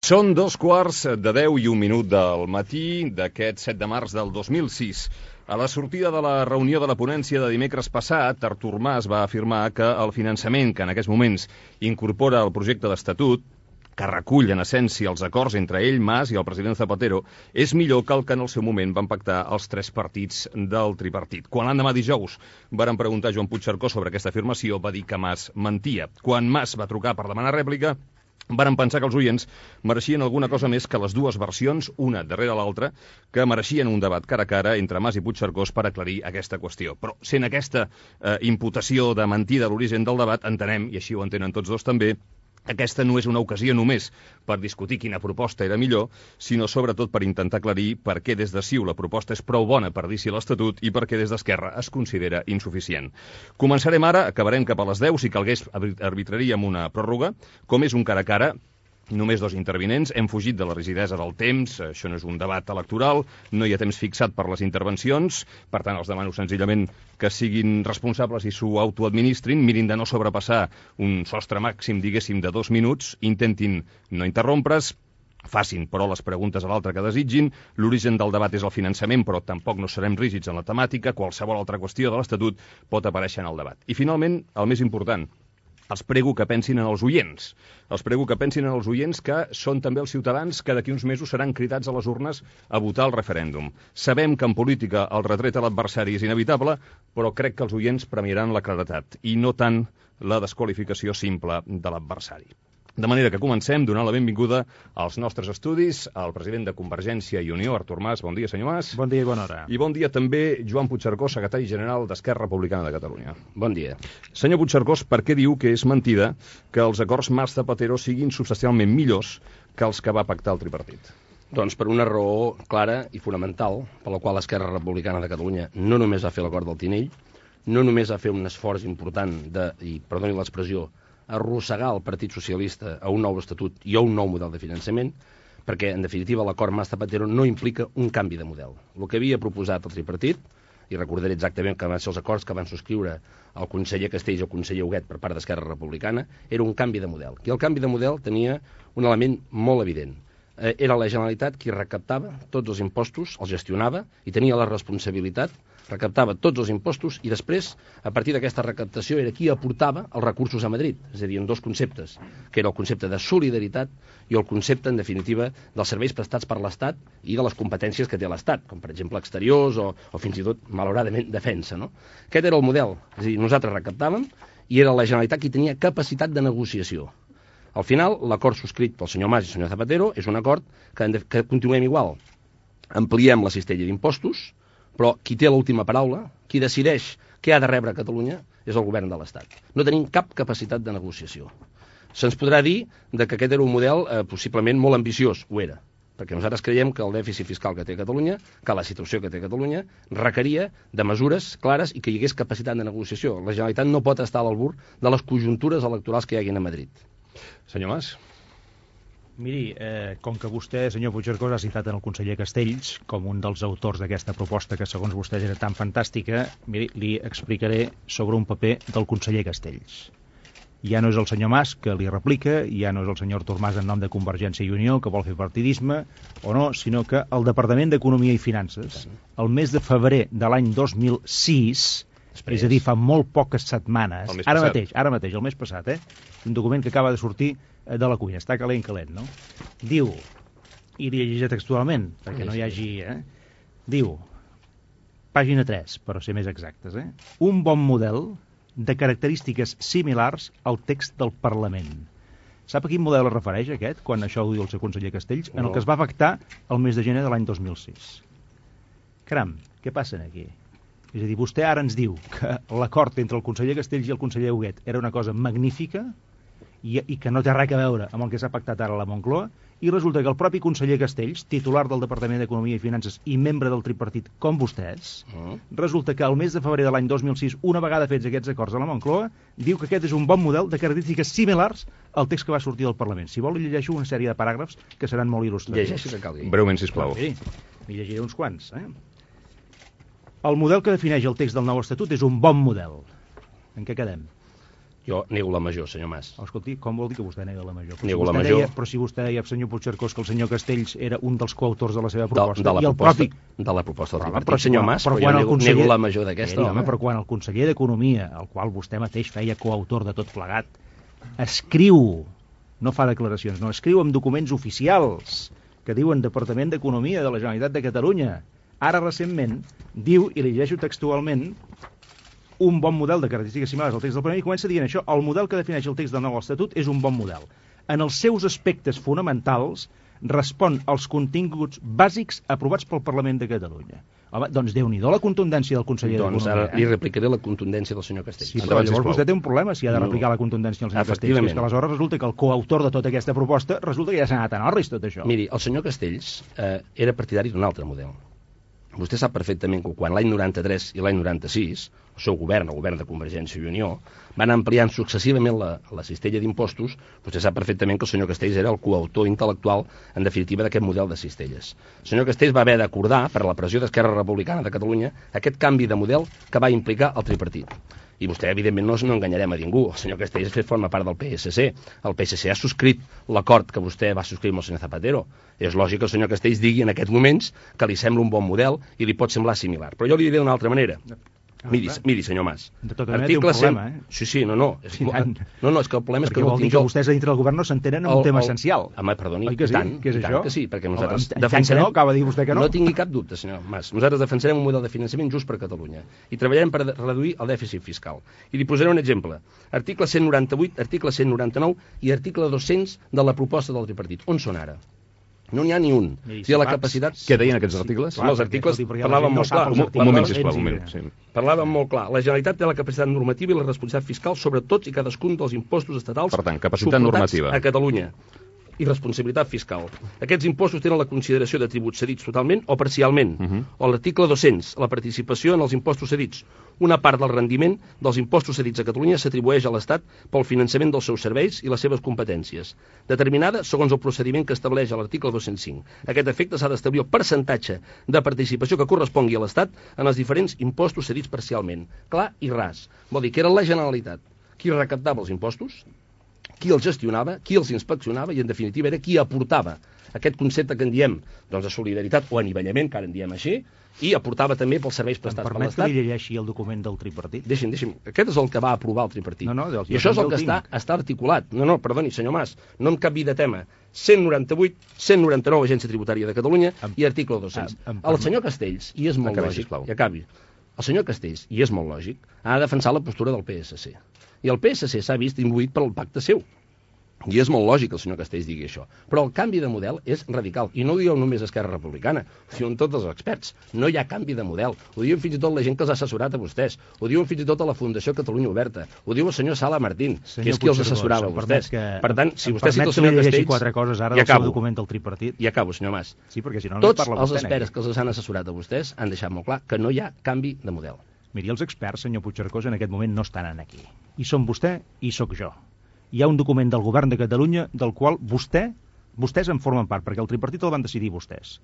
Són 2:15 del matí d'aquest 7 de març del 2006. A la sortida de la reunió de la ponència de dimecres passat, Artur Mas va afirmar que el finançament que en aquests moments incorpora el projecte d'estatut, que recull en essència els acords entre ell, Mas, i el president Zapatero, és millor que el que en el seu moment van pactar els tres partits del tripartit. Quan l'endemà dijous varen preguntar a Joan Puigcercós sobre aquesta afirmació, va dir que Mas mentia. Quan Mas va trucar per demanar rèplica, varen pensar que els oients mereixien alguna cosa més que les dues versions, una darrere l'altra, que mereixien un debat cara a cara entre Mas i Puigcercós per aclarir aquesta qüestió. Però sent aquesta imputació de mentir de l'origen del debat, entenem, i així ho entenen tots dos també, aquesta no és una ocasió només per discutir quina proposta era millor, sinó sobretot per intentar aclarir per què des de CiU la proposta és prou bona per dir-s'hi l'Estatut i per què des d'Esquerra es considera insuficient. Començarem ara, acabarem cap a les 10, si calgués arbitraríem una pròrroga, com és un cara a cara. Només dos intervinents, hem fugit de la rigidesa del temps, això no és un debat electoral, no hi ha temps fixat per les intervencions, per tant els demano senzillament que siguin responsables i s'ho autoadministrin, mirin de no sobrepassar un sostre màxim, diguéssim, de 2 minuts, intentin no interrompre's, facin, però, les preguntes a l'altre que desitgin. L'origen del debat és el finançament, però tampoc no serem rígids en la temàtica, qualsevol altra qüestió de l'Estatut pot aparèixer en el debat. I finalment, el més important, els prego que pensin en els oients. Els prego que pensin en els oients que són també els ciutadans que d'aquí uns mesos seran cridats a les urnes a votar el referèndum. Sabem que en política el retret a l'adversari és inevitable, però crec que els oients premiaran la claredat i no tant la desqualificació simple de l'adversari. De manera que comencem donant la benvinguda als nostres estudis al president de Convergència i Unió, Artur Mas. Bon dia, senyor Mas. Bon dia i bona hora. I bon dia també Joan Puigcercós, secretari general d'Esquerra Republicana de Catalunya. Bon dia. Senyor Puigcercós, per què diu que és mentida que els acords Mas-Zapatero siguin substancialment millors que els que va pactar el tripartit? Doncs per una raó clara i fonamental, per la qual Esquerra Republicana de Catalunya no només va fer l'acord del Tinell, no només va fer un esforç important de, i perdoni l'expressió, arrossegar el Partit Socialista a un nou estatut i a un nou model de finançament, perquè, en definitiva, l'acord Mas-Zapatero no implica un canvi de model. El que havia proposat el tripartit, i recordaré exactament que van ser els acords que van subscriure el conseller Castells i el conseller Huguet per part d'Esquerra Republicana, era un canvi de model. I el canvi de model tenia un element molt evident. Era la Generalitat qui recaptava tots els impostos, els gestionava i tenia la responsabilitat, recaptava tots els impostos i després, a partir d'aquesta recaptació, era qui aportava els recursos a Madrid. És a dir, en dos conceptes, que era el concepte de solidaritat i el concepte, en definitiva, dels serveis prestats per l'Estat i de les competències que té l'Estat, com per exemple exteriors o fins i tot, malauradament, defensa. No? Aquest era el model. És a dir, nosaltres recaptàvem i era la Generalitat qui tenia capacitat de negociació. Al final, l'acord subscrit pel senyor Mas i el senyor Zapatero és un acord que continuem igual. Ampliem la cistella d'impostos, però qui té l'última paraula, qui decideix què ha de rebre Catalunya, és el govern de l'Estat. No tenim cap capacitat de negociació. Se'ns podrà dir que aquest era un model possiblement molt ambiciós, ho era, perquè nosaltres creiem que el dèficit fiscal que té Catalunya, que la situació que té Catalunya, requeria de mesures clares i que hi hagués capacitat de negociació. La Generalitat no pot estar a l'albur de les conjuntures electorals que hi haguin a Madrid. Senyor Mas. Miri, com que vostè, senyor Puigcercós, ha citat en el conseller Castells com un dels autors d'aquesta proposta que segons vostès era tan fantàstica, miri, li explicaré sobre un paper del conseller Castells. Ja no és el senyor Mas que li replica, ja no és el senyor Artur Mas en nom de Convergència i Unió que vol fer partidisme o no, sinó que el Departament d'Economia i Finances, el mes de febrer de l'any 2006, és a dir, fa molt poques setmanes, ara mateix, el mes passat, un document que acaba de sortir de la cuina, està calent, no? Diu, i li llegiré textualment, perquè no hi hagi... Diu, pàgina 3, per ser més exactes, un bon model de característiques similars al text del Parlament. Sap a quin model es refereix aquest, quan això ho diu el seu conseller Castells? En el que es va pactar el mes de gener de l'any 2006. Caram, què passa aquí? És a dir, vostè ara ens diu que l'acord entre el conseller Castells i el conseller Huguet era una cosa magnífica i que no té res a veure amb el que s'ha pactat ara a la Moncloa, i resulta que el propi conseller Castells, titular del Departament d'Economia i Finances i membre del tripartit com vostès, resulta que al mes de febrer de l'any 2006, una vegada fets aquests acords a la Moncloa, diu que aquest és un bon model de característiques similars al text que va sortir del Parlament. Si vol, li llegeixo una sèrie de paràgrafs que seran molt il·lustratius. Llegeixi que calgui. Breument, sisplau. Sí, li llegiré uns quants, El model que defineix el text del nou Estatut és un bon model. En què quedem? Jo nego la major, senyor Mas. Escolti, com vol dir que vostè nega la major? Nego la major. Però si vostè deia, senyor Puigcercós, que el senyor Castells era un dels coautors de la seva proposta, de la proposta del tripartit, senyor Mas, però jo nego la major d'aquesta. Però quan el conseller d'Economia, el qual vostè mateix feia coautor de tot plegat, escriu, no fa declaracions, no, escriu en documents oficials que diuen Departament d'Economia de la Generalitat de Catalunya, ara recentment diu, i li llegeixo textualment, un bon model de característiques similars al text del Parlament, i comença dient això: el model que defineix el text del nou Estatut és un bon model. En els seus aspectes fonamentals respon als continguts bàsics aprovats pel Parlament de Catalunya. Home, doncs Déu-n'hi-do la contundència del conseller d'Economia. Doncs ara li replicaré la contundència del senyor Castells. Sí, però llavors vostè té un problema si ha de replicar la contundència del senyor Castells, que és que aleshores resulta que el coautor de tota aquesta proposta resulta que ja s'ha anat a Norris tot això. Miri, el senyor Castells era partidari d'un altre model. Vostè sap perfectament que quan l'any 93 i l'any 96 el seu govern, el govern de Convergència i Unió, van ampliant successivament la cistella d'impostos. Vostè sap perfectament que el senyor Castells era el coautor intel·lectual, en definitiva, d'aquest model de cistelles. El senyor Castells va haver d'acordar, per la pressió d'Esquerra Republicana de Catalunya, aquest canvi de model que va implicar el tripartit. I vostè, evidentment, no enganyarem a ningú. El senyor Castells forma part del PSC. El PSC ha subscrit l'acord que vostè va subscriure amb el senyor Zapatero. És lògic que el senyor Castells digui en aquests moments que li sembla un bon model i li pot semblar similar. Però jo li diré d'una altra manera. Miri, senyor Mas. De tota manera té un problema, Sí, no. És que el problema és que no vol dir que vostès a dintre del govern no s'entenen en un tema essencial. Home, perdoni, i tant que sí, perquè nosaltres defensarem... Acaba de dir vostè que no. No tingui cap dubte, senyor Mas. Nosaltres defensarem un model de finançament just per a Catalunya i treballarem per reduir el dèficit fiscal. I li posaré un exemple. Article 198, article 199 i article 200 de la proposta del tripartit. On són ara? No n'hi ha ni un. La capacitat... Què deien aquests articles? Els articles parlaven molt clar. Un moment, sisplau, un minut. Parlaven molt clar. La Generalitat té la capacitat normativa i la responsabilitat fiscal sobre tots i cadascun dels impostos estatals. Per tant, capacitat normativa a Catalunya. I responsabilitat fiscal. Aquests impostos tenen la consideració de tributs cedits totalment o parcialment. O l'article 200, la participació en els impostos cedits. Una part del rendiment dels impostos cedits a Catalunya s'atribueix a l'Estat pel finançament dels seus serveis i les seves competències, determinada segons el procediment que estableix a l'article 205. A aquest efecte s'ha d'establir el percentatge de participació que correspongui a l'Estat en els diferents impostos cedits parcialment. Clar i ras. Vol dir que era la Generalitat qui recaptava els impostos, qui els gestionava, qui els inspeccionava i, en definitiva, era qui aportava aquest concepte que en diem de solidaritat o anivellament, que ara en diem així, i aportava també pels serveis prestats per l'Estat. Em permet que li llegeixi el document del tripartit? Deixi'm. Aquest és el que va aprovar el tripartit. I això és el que està articulat. No, perdoni, senyor Mas, no em canviï de tema. 198, 199, Agència Tributària de Catalunya i article 200. El senyor Castells, i és molt lògic, i acabi, el senyor Castells, i és molt lògic, ha de defensar la postura del PSC. I el PSC s'ha vist imbuït pel pacte seu. I és molt lògic que el senyor Castells digui això. Però el canvi de model és radical. I no ho diu només Esquerra Republicana, ho diuen tots els experts. No hi ha canvi de model. Ho diuen fins i tot la gent que els ha assessorat a vostès. Ho diuen fins i tot a la Fundació Catalunya Oberta. Ho diu el senyor Sala Martín, que és qui els assessorava a vostès. Per tant, si vostè cita el senyor Castells... quatre coses ara del seu document del tripartit. I acabo, senyor Mas. Sí, perquè si no tots els experts que els han assessorat a vostès han deixat molt clar que no hi ha canvi de model. Miri, els experts, senyor Puigcercós, en aquest moment no estan aquí. I són vostè i sóc jo. Hi ha un document del govern de Catalunya del qual vostès en formen part, perquè el tripartit el van decidir vostès.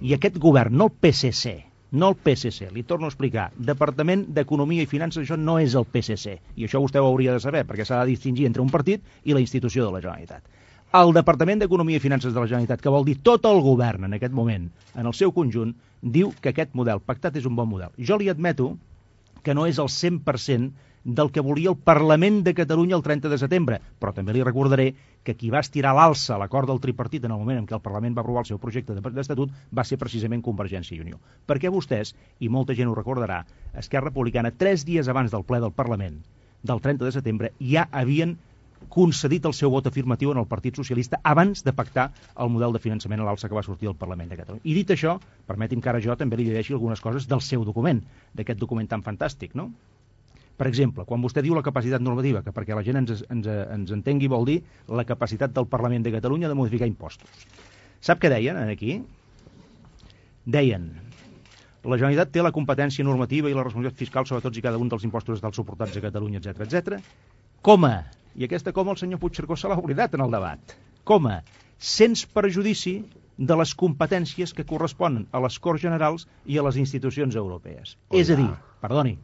I aquest govern, no el PSC, li torno a explicar, Departament d'Economia i Finances, això no és el PSC, i això vostè ho hauria de saber, perquè s'ha de distingir entre un partit i la institució de la Generalitat. El Departament d'Economia i Finances de la Generalitat, que vol dir tot el govern en aquest moment, en el seu conjunt, diu que aquest model pactat és un bon model. Jo li admeto que no és el 100% del que volia el Parlament de Catalunya el 30 de setembre, però també li recordaré que qui va estirar l'alça a l'acord del tripartit en el moment en què el Parlament va aprovar el seu projecte d'estatut va ser precisament Convergència i Unió. Perquè vostès, i molta gent ho recordarà, Esquerra Republicana, 3 dies abans del ple del Parlament del 30 de setembre, ja havien concedit el seu vot afirmatiu en el Partit Socialista abans de pactar el model de finançament a l'alça que va sortir del Parlament de Catalunya. I dit això, permeti'm que ara jo també li llegeixi algunes coses del seu document, d'aquest document tan fantàstic, no? Per exemple, quan vostè diu la capacitat normativa, que perquè la gent ens entengui vol dir la capacitat del Parlament de Catalunya de modificar impostos. Sap què deien aquí? Deien: la Generalitat té la competència normativa i la responsabilitat fiscal sobre tots i cada un dels impostos estatals suportats a Catalunya, etc. Coma, i aquesta coma el senyor Puigcercós se l'ha oblidat en el debat, coma, sens perjudici de les competències que corresponen a les Corts Generals i a les institucions europees. És a dir, perdoni,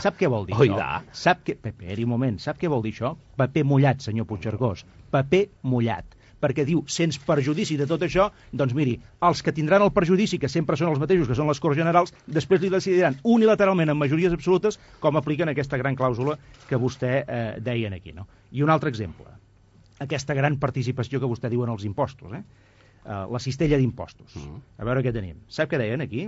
sap què vol dir això? Esperi un moment, sap què vol dir això? Paper mullat, senyor Puigcercós, paper mullat. Perquè diu, sense perjudici de tot això, doncs miri, els que tindran el perjudici, que sempre són els mateixos, que són les Corts Generals, després li decidiran unilateralment amb majories absolutes com apliquen aquesta gran clàusula que vostè deia aquí, no? I un altre exemple, aquesta gran participació que vostè diu en els impostos, la cistella d'impostos. A veure què tenim. Sap què deien aquí?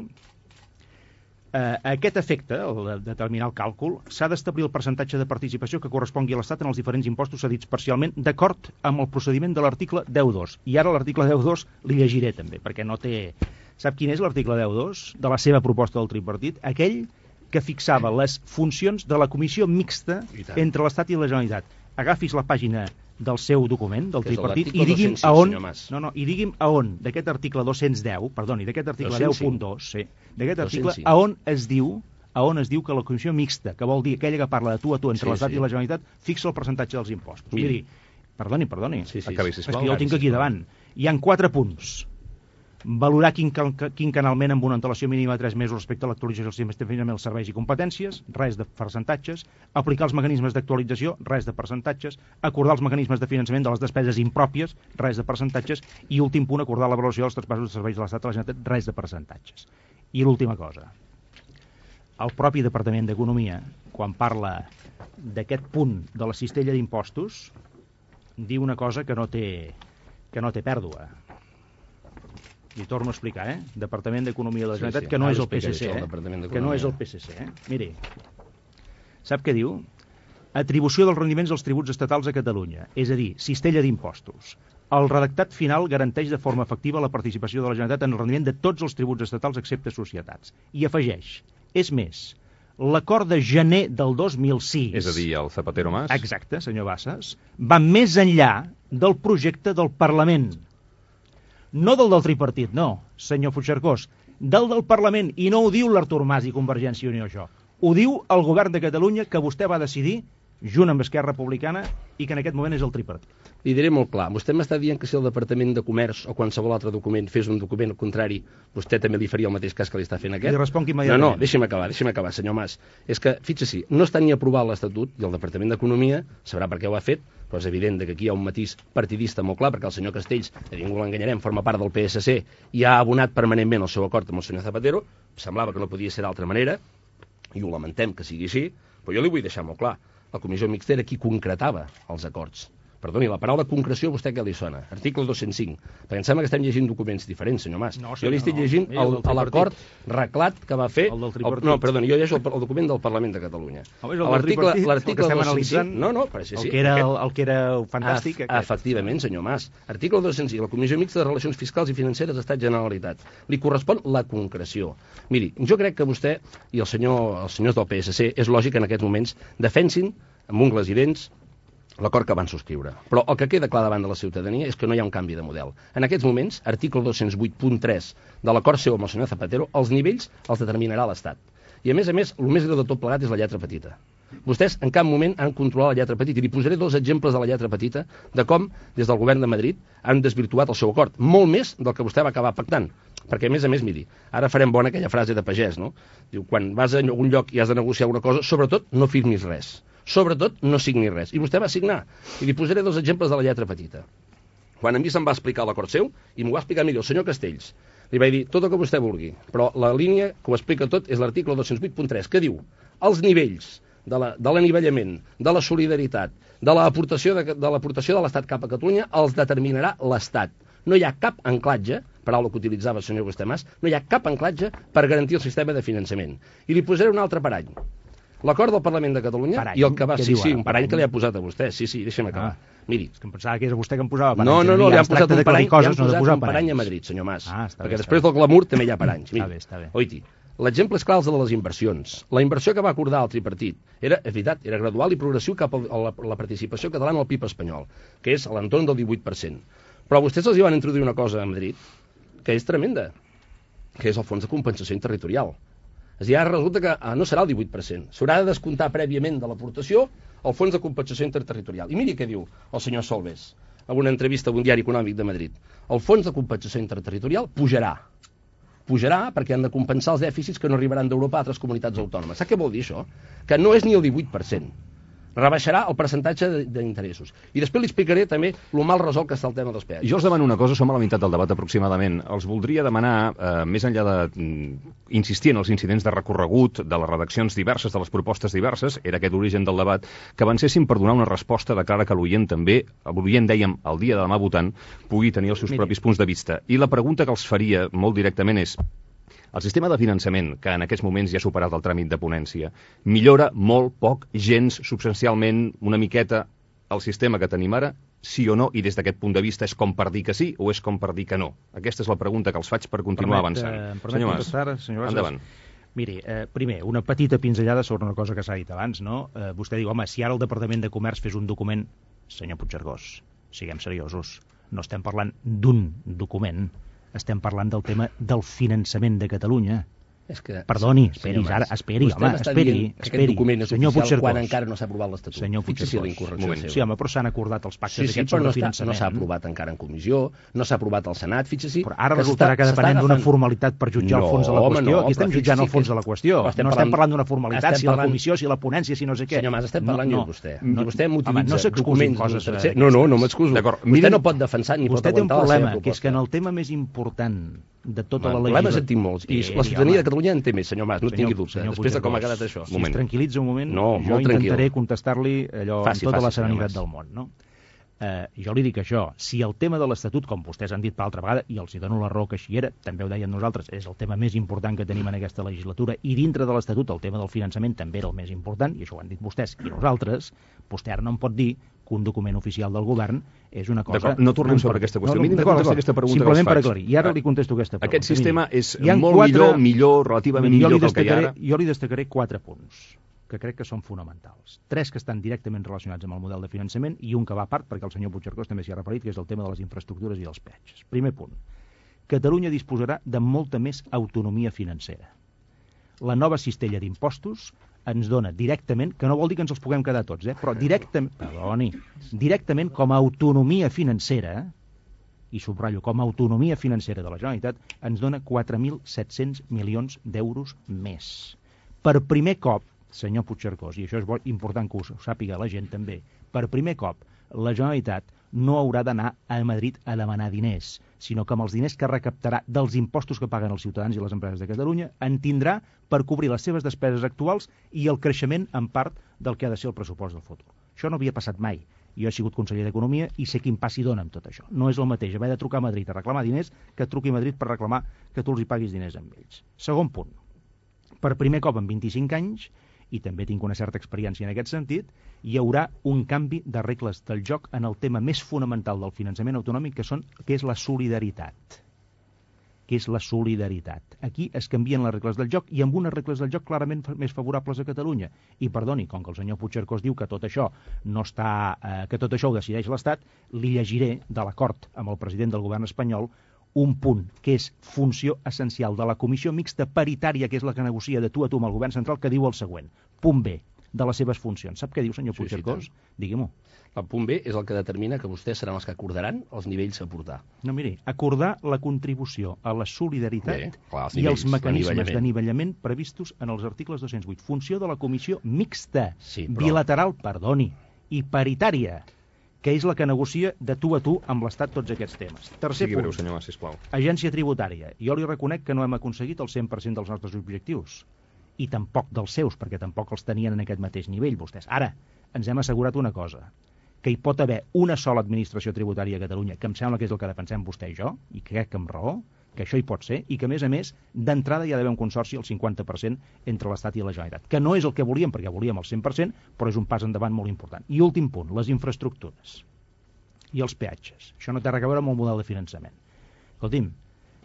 A aquest efecte, el de determinar el càlcul, s'ha d'establir el percentatge de participació que correspongui a l'Estat en els diferents impostos cedits parcialment d'acord amb el procediment de l'article 10.2. I ara l'article 10.2 li llegiré també, perquè no té... Sap quin és l'article 10.2 de la seva proposta del tripartit? Aquell que fixava les funcions de la comissió mixta entre l'Estat i la Generalitat. Agafis la pàgina del seu document, del tripartit, i digui'm a on... I digui'm a on, d'aquest article 210, perdoni, d'aquest article 10.2, sí, d'aquest article, a on es diu que la comissió mixta, que vol dir aquella que parla de tu a tu entre l'Estat i la Generalitat, fixa el percentatge dels impostos. Miri, perdoni, és que jo ho tinc aquí davant. Hi han 4 punts. Valorar quinquennalment amb una antelació mínima de 3 mesos respecte a l'actualització del sistema de finançament dels serveis i competències, res de percentatges, aplicar els mecanismes d'actualització, res de percentatges, acordar els mecanismes de finançament de les despeses impròpies, res de percentatges, i últim punt, acordar la valoració dels traspassos de serveis de l'Estat a la Generalitat, res de percentatges. I l'última cosa, el propi Departament d'Economia, quan parla d'aquest punt de la cistella d'impostos, diu una cosa que no té pèrdua. Li torno a explicar, Departament d'Economia de la Generalitat, que no és el PSC, que no és el PSC. Miri, sap què diu? Atribució dels rendiments dels tributs estatals a Catalunya, és a dir, cistella d'impostos. El redactat final garanteix de forma efectiva la participació de la Generalitat en el rendiment de tots els tributs estatals excepte societats. I afegeix, és més, l'acord de gener del 2006... És a dir, el Zapatero Mas? Exacte, senyor Bassas, va més enllà del projecte del Parlament. No del tripartit, no, senyor Puigcercós, del Parlament, i no ho diu l'Artur Mas i Convergència i Unió, això. Ho diu el govern de Catalunya, que vostè va decidir, junt amb Esquerra Republicana, i que en aquest moment és el tripartit. Li diré molt clar, vostè m'està dient que si el Departament de Comerç o qualsevol altre document fes un document contrari, vostè també li faria el mateix cas que li està fent aquest? Li responc immediatament. No, deixi'm acabar, senyor Mas. És que, fixi-s'hi, no està ni aprovat l'Estatut, i el Departament d'Economia sabrà per què ho ha fet, però és evident que aquí hi ha un matís partidista molt clar, perquè el senyor Castells, a ningú l'enganyarem, forma part del PSC i ha abonat permanentment el seu acord amb el senyor Zapatero. Semblava que no podia ser d'altra manera, i ho lamentem que sigui així, però jo li vull deixar molt clar. La comissió mixta era qui concretava els acords. Perdoni, la paraula concreció, vostè què li sona? Article 205. Perquè em sembla que estem llegint documents diferents, senyor Mas. No, jo li estic llegint l'acord reglat que va fer... El del tripartit. No, perdoni, jo llegeixo el document del Parlament de Catalunya. L'article 205... No, però sí. El que era fantàstic. Efectivament, senyor Mas. Article 205. La Comissió Mixta de Relacions Fiscals i Financeres Estat Generalitat. Li correspon la concreció. Miri, jo crec que vostè i els senyors del PSC és lògic que en aquests moments defensin amb ungles i dents l'acord que van subscriure. Però el que queda clar davant de la ciutadania és que no hi ha un canvi de model. En aquests moments, article 208.3 de l'acord seu amb el senyor Zapatero, els nivells els determinarà l'Estat. I a més, el més greu de tot plegat és la lletra petita. Vostès en cap moment han controlat la lletra petita. I li posaré 2 exemples de la lletra petita de com, des del govern de Madrid, han desvirtuat el seu acord. Molt més del que vostè va acabar pactant. Perquè, a més, miri, ara farem bona aquella frase de pagès, no? Diu, quan vas a algun lloc i has de negociar una cosa, sobretot no firmis res. Sobretot no signi res. I vostè va signar. I li posaré 2 exemples de la lletra petita. Quan a mi se'm va explicar l'acord seu, i m'ho va explicar millor el senyor Castells, li vaig dir tot el que vostè vulgui, però la línia que ho explica tot és l'article 208.3, que diu els nivells de l'anivellament, de la solidaritat, de l'aportació de l'Estat cap a Catalunya, els determinarà l'Estat. No hi ha cap anclatge, paraula que utilitzava el senyor Mas, no hi ha cap anclatge per garantir el sistema de finançament. I li posaré un altre parany. L'acord del Parlament de Catalunya i el que va... Sí, un parany que li ha posat a vostè. Sí, deixa'm acabar. Miri. És que em pensava que era vostè que em posava parany. No, li han posat un parany a Madrid, senyor Mas. Perquè després del glamour també hi ha paranys. Està bé. Oiti, l'exemple és clar de les inversions. La inversió que va acordar el tripartit era, és veritat, era gradual i progressiu cap a la participació catalana al PIB espanyol, que és a l'entorn del 18%. Però vostès els hi van introduir una cosa a Madrid que és tremenda, que és el fons de compensació territorial. És a dir, ara resulta que no serà el 18%. S'haurà de descomptar prèviament de l'aportació el fons de compensació interterritorial. I miri què diu el senyor Solbes. en una entrevista a un diari econòmic de Madrid. El fons de compensació interterritorial pujarà perquè han de compensar els dèficits que no arribaran d'Europa a altres comunitats autònomes. Sap què vol dir això? Que no és ni el 18%. Rebaixarà el percentatge d'interessos. I després li explicaré també el mal resolt que està el tema dels peatges. Jo els demano una cosa, som a la meitat del debat aproximadament. Els voldria demanar, més enllà d'insistir en els incidents de recorregut, de les redaccions diverses, de les propostes diverses, era aquest l'origen del debat, que avancessin per donar una resposta de cara que l'oient també, l'oient, dèiem, el dia de demà votant, pugui tenir els seus propis punts de vista. I la pregunta que els faria molt directament és: el sistema de finançament, que en aquests moments ja ha superat el tràmit de ponència, millora molt poc, gens, substancialment, una miqueta, el sistema que tenim ara, sí o no? I des d'aquest punt de vista és com per dir que sí o és com per dir que no? Aquesta és la pregunta que els faig per continuar avançant. Senyor Mas, endavant. Miri, primer, una petita pinzellada sobre una cosa que s'ha dit abans, no? Vostè diu, home, si ara el Departament de Comerç fes un document... Senyor Puigcercós, siguem seriosos, no estem parlant d'un document, estem parlant del tema del finançament de Catalunya. És que, perdoni, esperi, home, esperi. Aquest document és senyor oficial quan encara no s'ha aprovat l'Estatut. Senyor Puigcercós, sí, home, però s'han acordat els pactes aquests sobre finançament. No s'ha aprovat encara en comissió, no s'ha aprovat al Senat, fixi-s'hi. Però ara resultarà que depenent d'una formalitat per jutjar el fons de la qüestió. Aquí estem jutjant el fons de la qüestió. No estem parlant d'una formalitat, si la comissió, si la ponència, si no sé què. Senyor Mas, estem parlant de vostè. Vostè m'utilitza documents... No m'excuso. Vostè no pot defensar ni pot aguantar la seva proposta. Vostè té un problema, que és que en el tema més important de tota la legislatura... Problemes en tinc molts. I la ciutadania de Catalunya en té més, senyor Mas, no tingui dubte. Després de com ha quedat això. Si es tranquil·litza un moment, jo intentaré contestar-li allò amb tota la serenitat del món, no? Jo li dic això, si el tema de l'Estatut, com vostès han dit per altra vegada, i els hi dono la raó que així era, també ho dèiem nosaltres, és el tema més important que tenim en aquesta legislatura, i dintre de l'Estatut el tema del finançament també era el més important, i això ho han dit vostès i nosaltres, vostè ara no em pot dir que un document oficial del govern és una cosa... No tornem sobre aquesta qüestió. Mínim de contestar aquesta pregunta que els faig. Simplement per aclarir. I ara li contesto aquesta pregunta. Aquest sistema és molt millor, relativament millor que el que hi ha ara? Jo li destacaré 4 punts que crec que són fonamentals. 3 que estan directament relacionats amb el model de finançament i un que va a part, perquè el senyor Puigcercós també s'hi ha referit, que és el tema de les infraestructures i dels peatges. Primer punt. Catalunya disposarà de molta més autonomia financera. La nova cistella d'impostos ens dona directament, que no vol dir que ens els puguem quedar tots, però directament com a autonomia financera, i subratllo, com a autonomia financera de la Generalitat, ens dona 4.700 milions d'euros més. Per primer cop, senyor Puigcercós, i això és important que ho sàpiga la gent també, per primer cop la Generalitat no haurà d'anar a Madrid a demanar diners, sinó que amb els diners que recaptarà dels impostos que paguen els ciutadans i les empreses de Catalunya en tindrà per cobrir les seves despeses actuals i el creixement en part del que ha de ser el pressupost del futur. Això no havia passat mai. Jo he sigut conseller d'Economia i sé quin pas hi dona amb tot això. No és el mateix haver de trucar a Madrid a reclamar diners que truqui a Madrid per reclamar que tu els hi paguis diners amb ells. Segon punt. Per primer cop en 25 anys, i també tinc una certa experiència en aquest sentit, hi haurà un canvi de regles del joc en el tema més fonamental del finançament autonòmic, que és la solidaritat. Aquí es canvien les regles del joc i amb unes regles del joc clarament més favorables a Catalunya. I perdoni, com que el senyor Puigcercós diu que tot això que tot això ho decideix l'Estat, li llegiré de l'acord amb el president del govern espanyol un punt que és funció essencial de la comissió mixta paritària, que és la que negocia de tu a tu amb el govern central, que diu el següent. Punt B de les seves funcions. Sap què diu, senyor Puigcercós? Digui-m'ho. El punt B és el que determina que vostès seran els que acordaran els nivells a portar. No, miri, acordar la contribució a la solidaritat i els mecanismes d'anivellament previstos en els articles 208. Funció de la comissió mixta, bilateral, perdoni, i paritària, que és la que negocia de tu a tu amb l'Estat tots aquests temes. Tercer punt, senyor Mas, sisplau. Agència tributària. Jo li reconec que no hem aconseguit el 100% dels nostres objectius, i tampoc dels seus, perquè tampoc els tenien en aquest mateix nivell, vostès. Ara, ens hem assegurat una cosa, que hi pot haver una sola administració tributària a Catalunya, que em sembla que és el que defensem vostè i jo, i crec que amb raó, que això hi pot ser, i que, a més, d'entrada hi ha d'haver un consorci al 50% entre l'Estat i la Generalitat, que no és el que volíem, perquè volíem el 100%, però és un pas endavant molt important. I últim punt, les infraestructures i els peatges. Això no té res a veure amb el model de finançament. Escolti'm,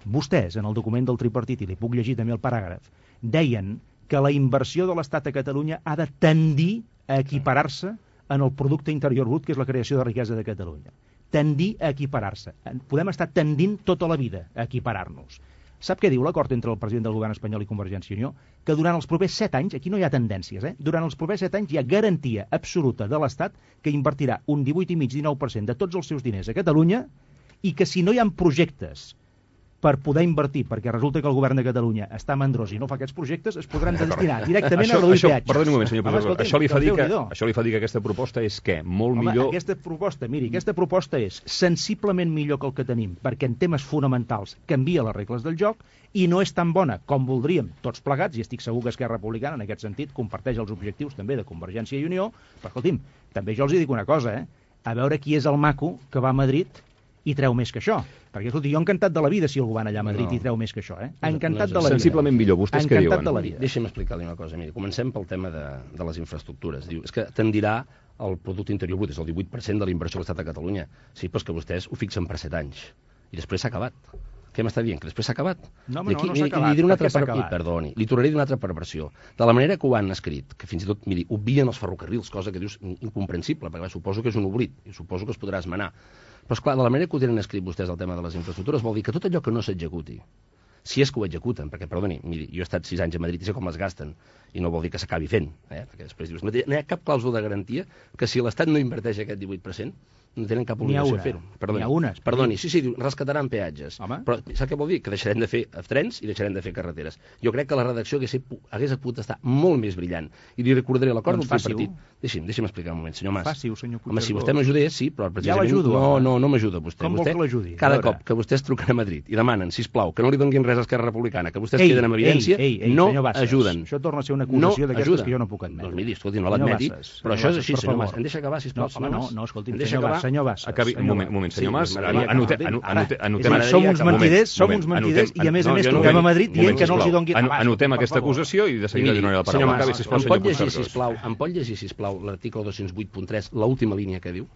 vostès, en el document del tripartit, i li puc llegir també el paràgraf, deien que la inversió de l'Estat a Catalunya ha de tendir a equiparar-se en el producte interior brut, que és la creació de riquesa de Catalunya. Tendir a equiparar-se. Podem estar tendint tota la vida a equiparar-nos. Sap què diu l'acord entre el president del govern espanyol i Convergència i Unió? Que durant els propers 7 anys, aquí no hi ha tendències, durant els propers 7 anys hi ha garantia absoluta de l'Estat que invertirà un 18,5-19% de tots els seus diners a Catalunya i que si no hi ha projectes per poder invertir, perquè resulta que el govern de Catalunya està mandrós i no fa aquests projectes, es podran destinar directament a reduir peatges. Perdoni un moment, senyor Pujol. Això li fa dir que aquesta proposta és què? Molt millor... Aquesta proposta és sensiblement millor que el que tenim, perquè en temes fonamentals canvia les regles del joc i no és tan bona com voldríem tots plegats, i estic segur que Esquerra Republicana en aquest sentit comparteix els objectius també de Convergència i Unió, però escolti'm, també jo els dic una cosa, a veure qui és el maco que va a Madrid i treu més que això. Perquè, escolti, jo encantat de la vida si algú va allà a Madrid i treu més que això, Encantat de la vida. Sensiblement millor, vostès què diuen? Encantat de la vida. Deixi'm explicar-li una cosa. Miri, comencem pel tema de les infraestructures. Diu, és que tendirà el producte interior brut, és el 18% de la inversió de l'Estat a Catalunya. Sí, però és que vostès ho fixen per 7 anys. I després s'ha acabat. Què m'està dient? Que després s'ha acabat? No, no s'ha acabat. Perdoni, li tornaré d'una altra perversió. De la manera que ho han escrit, que fins i tot, miri, obvien els ferrocarrils, cosa que dius incomprensible, perquè suposo que és un oblit, i suposo que es podrà esmenar. Però, esclar, de la manera que ho tenen escrit vostès el tema de les infraestructures vol dir que tot allò que no s'executi, si és que ho executen, perquè, perdoni, miri, jo he estat 6 anys a Madrid i sé com les gasten, i no vol dir que s'acabi fent, perquè després dius, no hi ha cap clàusula de garantia que si l'Estat no inverteix aquest 18%, no tenen cap obligació de fer-ho. N'hi ha una. Perdoni, sí, diu, rescataran peatges. Home. Però sap què vol dir? Que deixarem de fer trens i deixarem de fer carreteres. Jo crec que la redacció hagués pogut estar molt més brillant. I li recordaré l'acord del tripartit. Deixi'm explicar un moment, senyor Mas. Faci-ho, senyor Puigcercós. Home, si vostè m'ajudés, sí, però precisament... Ja l'ajudo. No m'ajuda vostè. Com vol que l'ajudi? Cada cop que vostès truquen a Madrid i demanen, sisplau, que no li donguin res a Esquerra Republicana, que vostès queden en evidència, no ajuden. Això torna a ser una acusació d'aquestes que jo no puc admetre. Doncs miri, escolti, no l'admeti, però això és així, senyor Mas. Em deixa acabar, sisplau. No, escolti'm, senyor Mas. Un moment, senyor Mas, som uns mentiders i a més truquem a Madrid dient que no els hi donguin... Anotem aquesta acusació i de seguida li donaré la paraula. Em pot llegir, sisplau, l'article 208.3, l'última línia que diu?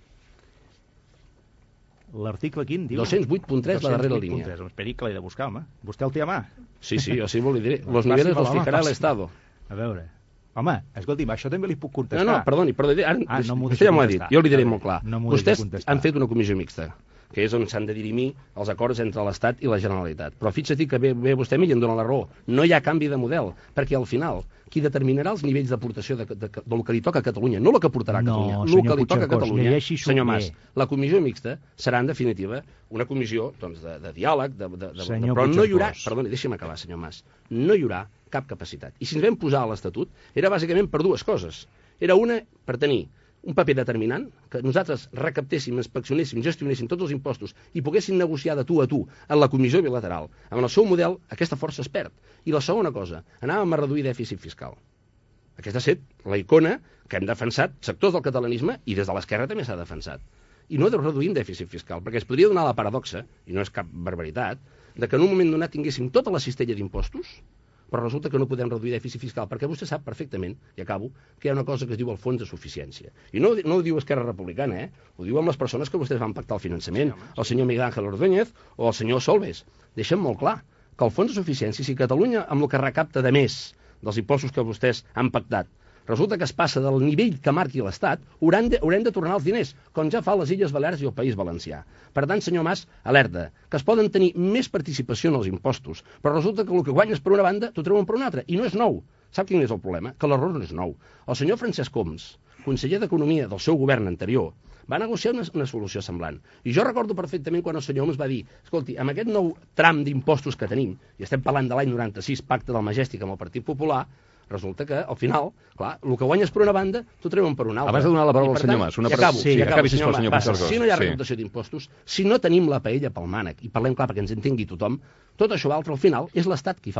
L'article quin, diu? 208.3, la darrera línia. Esperi que l'he de buscar, home. Vostè el té a mà? Sí, jo sí li diré. Los niveles los fijará el Estado. A veure... Home, escolti'm, això també li puc contestar. No, perdoni, vostè ja m'ho ha dit, jo li diré molt clar. Vostès han fet una comissió mixta, que és on s'han de dirimir els acords entre l'Estat i la Generalitat. Però fixa't que ve vostè a mi i em dona la raó. No hi ha canvi de model, perquè al final qui determinarà els nivells d'aportació del que li toca a Catalunya, no el que portarà a Catalunya, el que li toca a Catalunya, senyor Mas, la comissió mixta serà en definitiva una comissió de diàleg, però no hi haurà, perdoni, deixi'm acabar, senyor Mas, no hi haurà cap capacitat. I si ens vam posar a l'Estatut era bàsicament per dues coses. Era una, per tenir un paper determinant, que nosaltres recaptéssim, inspeccionéssim, gestionéssim tots els impostos i poguéssim negociar de tu a tu en la comissió bilateral. Amb el seu model, aquesta força es perd. I la segona cosa, anàvem a reduir dèficit fiscal. Aquesta ha estat la icona que hem defensat sectors del catalanisme i des de l'esquerra també s'ha defensat. I no reduïm dèficit fiscal, perquè es podria donar la paradoxa, i no és cap barbaritat, de que en un moment donat tinguéssim tota la cistella d'impostos, però resulta que no podem reduir dèficit fiscal, perquè vostè sap perfectament, i acabo, que hi ha una cosa que es diu el fons de suficiència. I no ho diu Esquerra Republicana, ho diu amb les persones que vostès van pactar el finançament, el senyor Miguel Ángel Ordóñez o el senyor Solbes. Deixem molt clar que el fons de suficiència, si Catalunya, amb el que recapta de més dels impostos que vostès han pactat, resulta que es passa del nivell que marqui l'Estat, haurem de tornar els diners, com ja fa les Illes Balears i el País Valencià. Per tant, senyor Mas, alerta, que es poden tenir més participació en els impostos, però resulta que el que guanyes per una banda t'ho treuen per una altra, i no és nou. Sap quin és el problema? Que l'error no és nou. El senyor Francesc Homs, conseller d'Economia del seu govern anterior, va negociar una solució semblant. I jo recordo perfectament quan el senyor Homs va dir, escolti, amb aquest nou tram d'impostos que tenim, i estem parlant de l'any 96, pacte del Majestic amb el Partit Popular, resulta que, al final, clar, el que guanyes per una banda, t'ho treuen per una altra. Abans de donar la paraula al senyor Mas, una pregunta. Sí, acabi, senyor Mas. Si no hi ha recaptació d'impostos, si no tenim la paella pel mànec, i parlem clar perquè ens entengui tothom, tot això altre, al final, és l'Estat qui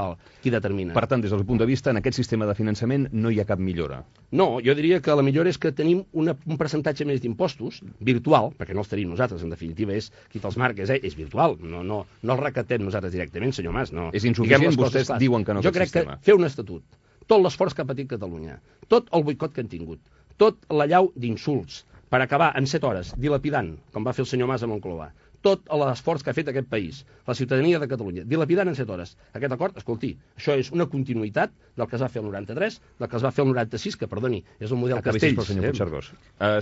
determina. Per tant, des del punt de vista, en aquest sistema de finançament no hi ha cap millora. No, jo diria que la millora és que tenim un percentatge més d'impostos, virtual, perquè no els tenim nosaltres, en definitiva, és qui te'ls marques, és virtual, no els recaptem nosaltres directament, senyor Mas. No. És insuficient, vostès diuen que no, aquest sistema. Jo crec que fer un estatut, tot l'esforç que ha patit Catalunya, tot el boicot que han tingut, tot l'allau d'insults, per acabar en 7 hores dilapidant, com va fer el senyor Mas a Moncloa, tot l'esforç que ha fet aquest país, la ciutadania de Catalunya, dilapidant en 7 hores. Aquest acord, escolti, això és una continuïtat del que es va fer el 93, del que es va fer el 96, que, perdoni, és el model Castells. Senyor Puigcercós.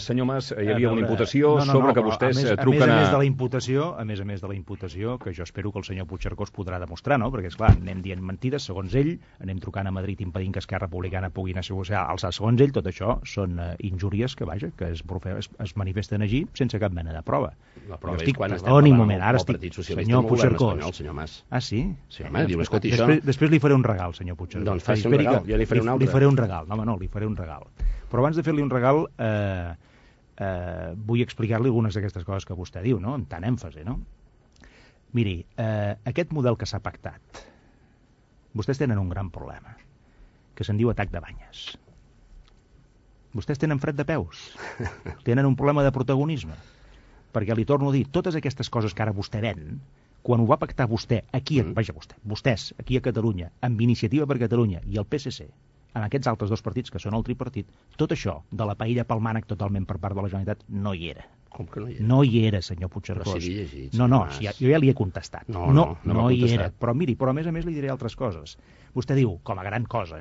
Senyor Mas, hi havia una imputació sobre que vostès truquen a... A més a més de la imputació, que jo espero que el senyor Puigcercós podrà demostrar, no? Perquè, esclar, anem dient mentides, segons ell, anem trucant a Madrid impedint que Esquerra Republicana pugui alçar, segons ell, tot això són injúries que, vaja, que es manifesten allí sense cap mena de prova. La prova és quan estem parlant del Partit Socialista amb el govern espanyol, senyor Mas. Ah, sí? Sí, home, diu, escolti, després li faré un regal, senyor Puigcercós. Doncs faci un regal, jo li faré un altre. Li faré un regal, no, li faré un regal. Però abans de fer-li un regal, vull explicar-li algunes d'aquestes coses que vostè diu, no?, amb tant èmfasi, no? Miri, aquest model que s'ha pactat, vostès tenen un gran problema, que se'n diu atac de banyes. Vostès tenen fred de peus, tenen un problema de protagonisme, perquè li torno a dir, totes aquestes coses que ara vostè ven, quan ho va pactar vostè, aquí, vostès, aquí a Catalunya, amb Iniciativa per Catalunya i el PSC, amb aquests altres dos partits que són el tripartit, tot això de la paella pel mànec totalment per part de la Generalitat no hi era. Com que no hi era? No hi era, senyor Puigcercós. Però si llegit, no, jo ja li he contestat. No hi era. Però miri, a més li diré altres coses. Vostè diu, com a gran cosa,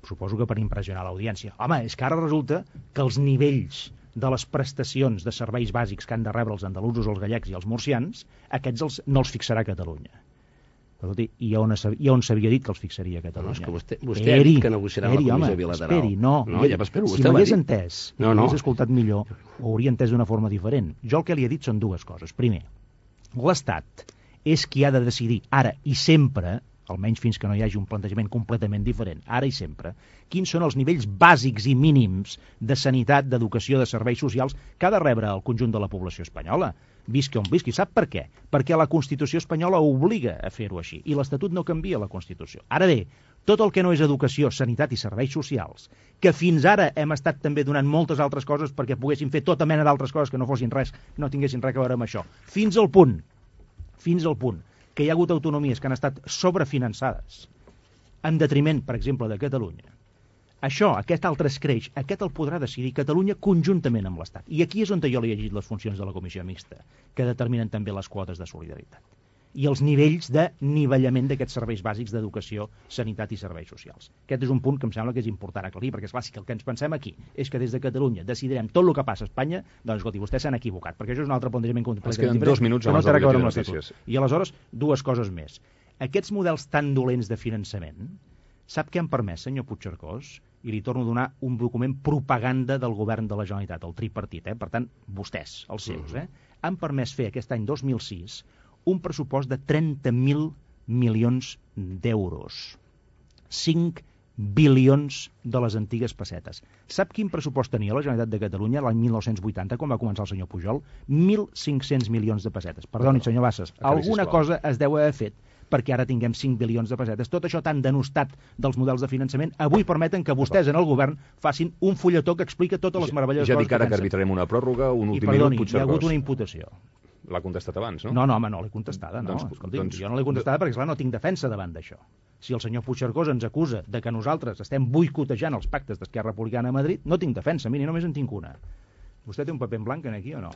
suposo que per impressionar l'audiència. Home, és que ara resulta que els nivells de les prestacions de serveis bàsics que han de rebre els andalusos, els gallecs i els murcians, aquests no els fixarà Catalunya. I on s'havia dit que els fixaria Catalunya? No, és que vostè ha dit que negociarà la comissió bilateral. Esperi, no, ja m'espero, si m'hagués entès, m'hagués escoltat millor, ho hauria entès d'una forma diferent. Jo el que li he dit són dues coses. Primer, l'Estat és qui ha de decidir ara i sempre, almenys fins que no hi hagi un plantejament completament diferent, ara i sempre, quins són els nivells bàsics i mínims de sanitat, d'educació, de serveis socials que ha de rebre el conjunt de la població espanyola, visqui on visqui. Sap per què? Perquè la Constitució espanyola obliga a fer-ho així, i l'Estatut no canvia la Constitució. Ara bé, tot el que no és educació, sanitat i serveis socials, que fins ara hem estat també donant moltes altres coses perquè poguessin fer tota mena d'altres coses que no fossin res, no tinguessin res a veure amb això, fins al punt que hi ha hagut autonomies que han estat sobrefinançades en detriment, per exemple, de Catalunya. Això, aquest altre escreix, aquest el podrà decidir Catalunya conjuntament amb l'Estat. I aquí és on jo li he llegit les funcions de la Comissió Mixta, que determinen també les quotes de solidaritat i els nivells de nivellament d'aquests serveis bàsics d'educació, sanitat i serveis socials. Aquest és un punt que em sembla que és important aclarir, perquè és clar, si el que ens pensem aquí és que des de Catalunya decidirem tot el que passa a Espanya, doncs escolti, vostès s'han equivocat, perquè això és un altre plantejament completament diferent. 2 minuts abans del butlletí de notícies. I aleshores, dues coses més. Aquests models tan dolents de finançament, sap què han permès, senyor Puigcercós? I li torno a donar un document propaganda del govern de la Generalitat, el tripartit, per tant, vostès, els seus, han permès fer aquest any 2006 un pressupost de 30.000 milions d'euros. 5 bilions de les antigues pessetes. Sap quin pressupost tenia la Generalitat de Catalunya l'any 1980, quan va començar el senyor Pujol? 1.500 milions de pessetes. Perdoni, senyor Bassas, alguna cosa es deu haver fet perquè ara tinguem 5 bilions de pessetes. Tot això tan denostat dels models de finançament, avui permeten que vostès en el govern facin un fulletó que explica totes les meravelloses coses que pensen. Ja dic ara que arbitrarem una pròrroga, un últim minut, Puigcercós. Hi ha hagut una imputació. L'ha contestat abans, no? No, home, no l'he contestada, no. Escolti'm, jo no l'he contestada perquè, esclar, no tinc defensa davant d'això. Si el senyor Puigcercós ens acusa de que nosaltres estem boicotejant els pactes d'Esquerra Republicana a Madrid, no tinc defensa, miri, només en tinc una. Vostè té un paper en blanc aquí o no?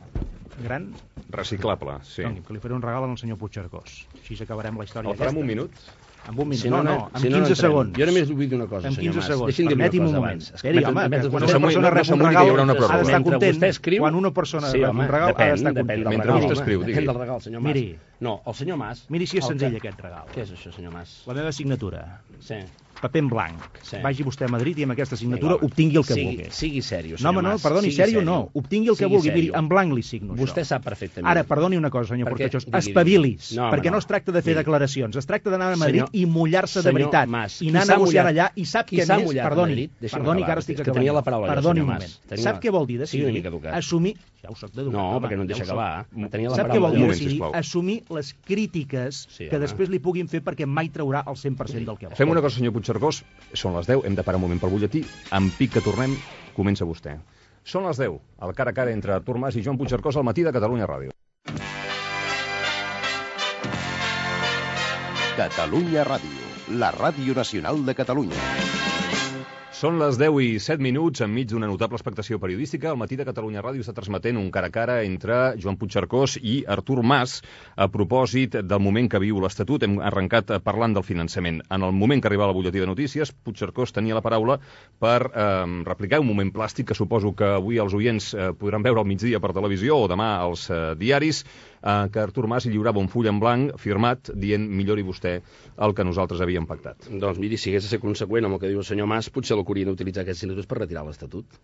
Gran? Reciclable, sí. Doni, que li faré un regal al senyor Puigcercós. Així acabarem la història aquesta. El farem un minut? Amb un minut. Si amb 15 segons. Jo només vull dir una cosa, senyor Mas. Deixi'm dir una cosa abans. Esperi, home, quan una persona rep un regal ha d'estar content. Quan una persona rep un regal ha d'estar content. Mentre vostè escriu, digui. Depèn del regal, senyor Mas. No, el senyor Mas... Miri si és senzill aquest regal. Què és això, senyor Mas? La meva signatura. Sí. Paper en blanc. Vagi vostè a Madrid i amb aquesta signatura obtingui el que vulgui. Sigui sèrio, senyor Mas. No, perdoni, sèrio no. Obtingui el que vulgui. Miri, en blanc li signo això. Vostè sap perfectament. Ara, perdoni una cosa, senyor Portachós. Espavilis. Perquè no es tracta de fer declaracions. Es tracta d'anar a Madrid i mullar-se de veritat. I anar a negociar allà. I sap què més? Perdoni que ara estic acabant. Perdoni un moment. Sap què vol dir decidir? Assumir... Ja ho soc d'educat. No, perquè no em deixa acabar. Sap què vol dir decidir? Assumir les crítiques que després li puguin fer perquè mai traurà el 100% del que vol. Fem una cosa, senyor Puigcercós. Són les 10, hem de parar un moment pel butlletí. En pic que tornem, comença vostè. Són les 10, el cara a cara entre Artur Mas i Joan Puigcercós al matí de Catalunya Ràdio. Catalunya Ràdio, la ràdio nacional de Catalunya. Són les 10:07, enmig d'una notable expectació periodística. El Matí de Catalunya Ràdio està transmetent un cara a cara entre Joan Puigcercós i Artur Mas a propòsit del moment que viu l'Estatut. Hem arrencat parlant del finançament. En el moment que arriba el butlletí de notícies, Puigcercós tenia la paraula per replicar un moment plàstic que suposo que avui els oients podran veure al migdia per televisió o demà als diaris, que Artur Mas lliurava un full en blanc firmat dient millori vostè el que nosaltres havíem pactat. Doncs miri, si hagués de ser conseqüent amb el que diu el senyor Mas, potser l'haurien d'utilitzar aquests minuts per retirar l'Estatut.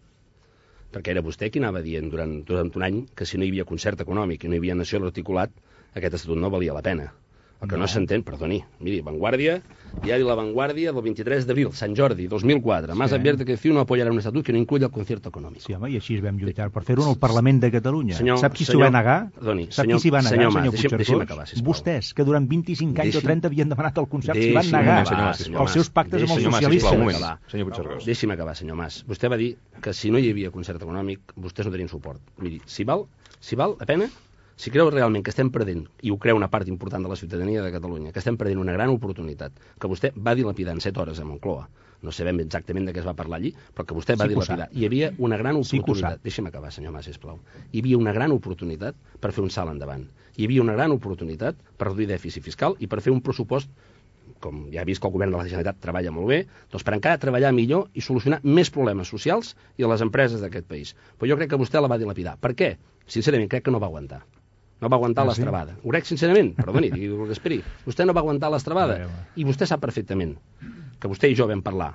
Perquè era vostè qui anava dient durant un any que si no hi havia concert econòmic i no hi havia nació a l'articulat, aquest Estatut no valia la pena. El que no s'entén, perdoni, miri, Vanguardia, diari La Vanguardia del 23 d'abril, Sant Jordi, 2004. Mas advierte que CiU no apoyarà un estatut que no incluya el concierto econòmic. Sí, home, i així vam lluitar per fer-ho en el Parlament de Catalunya. Sap qui s'ho va negar? Perdoni, Sap qui s'hi va negar, senyor Puigcercós? Deixi'm acabar, sisplau. Vostès, que durant 25 anys o 30 havien demanat el concert, s'hi van negar els seus pactes amb els socialistes. Senyor Puigcercós. Deixi'm acabar, senyor Mas. Vostè va dir que si no hi havia concert econòmic, vostès no tenien suport. Miri, si val la pena, si creu realment que estem perdent, i ho creu una part important de la ciutadania de Catalunya, que estem perdent una gran oportunitat, que vostè va dilapidar en 7 hores a Moncloa, no sabem exactament de què es va parlar allí, però que vostè va dilapidar. Hi havia una gran oportunitat. Deixi'm acabar, senyor Mas, sisplau. Hi havia una gran oportunitat per fer un salt endavant. Hi havia una gran oportunitat per reduir dèficit fiscal i per fer un pressupost, com ja he vist que el govern de la Generalitat treballa molt bé, doncs per encara treballar millor i solucionar més problemes socials i a les empreses d'aquest país. Però jo crec que vostè la va dilapidar. Per què? Sincerament, crec que no va aguantar. No va aguantar l'estrabada. Ho crec sincerament, perdoni, digui el que esperi. Vostè no va aguantar l'estrabada. I vostè sap perfectament que vostè i jo vam parlar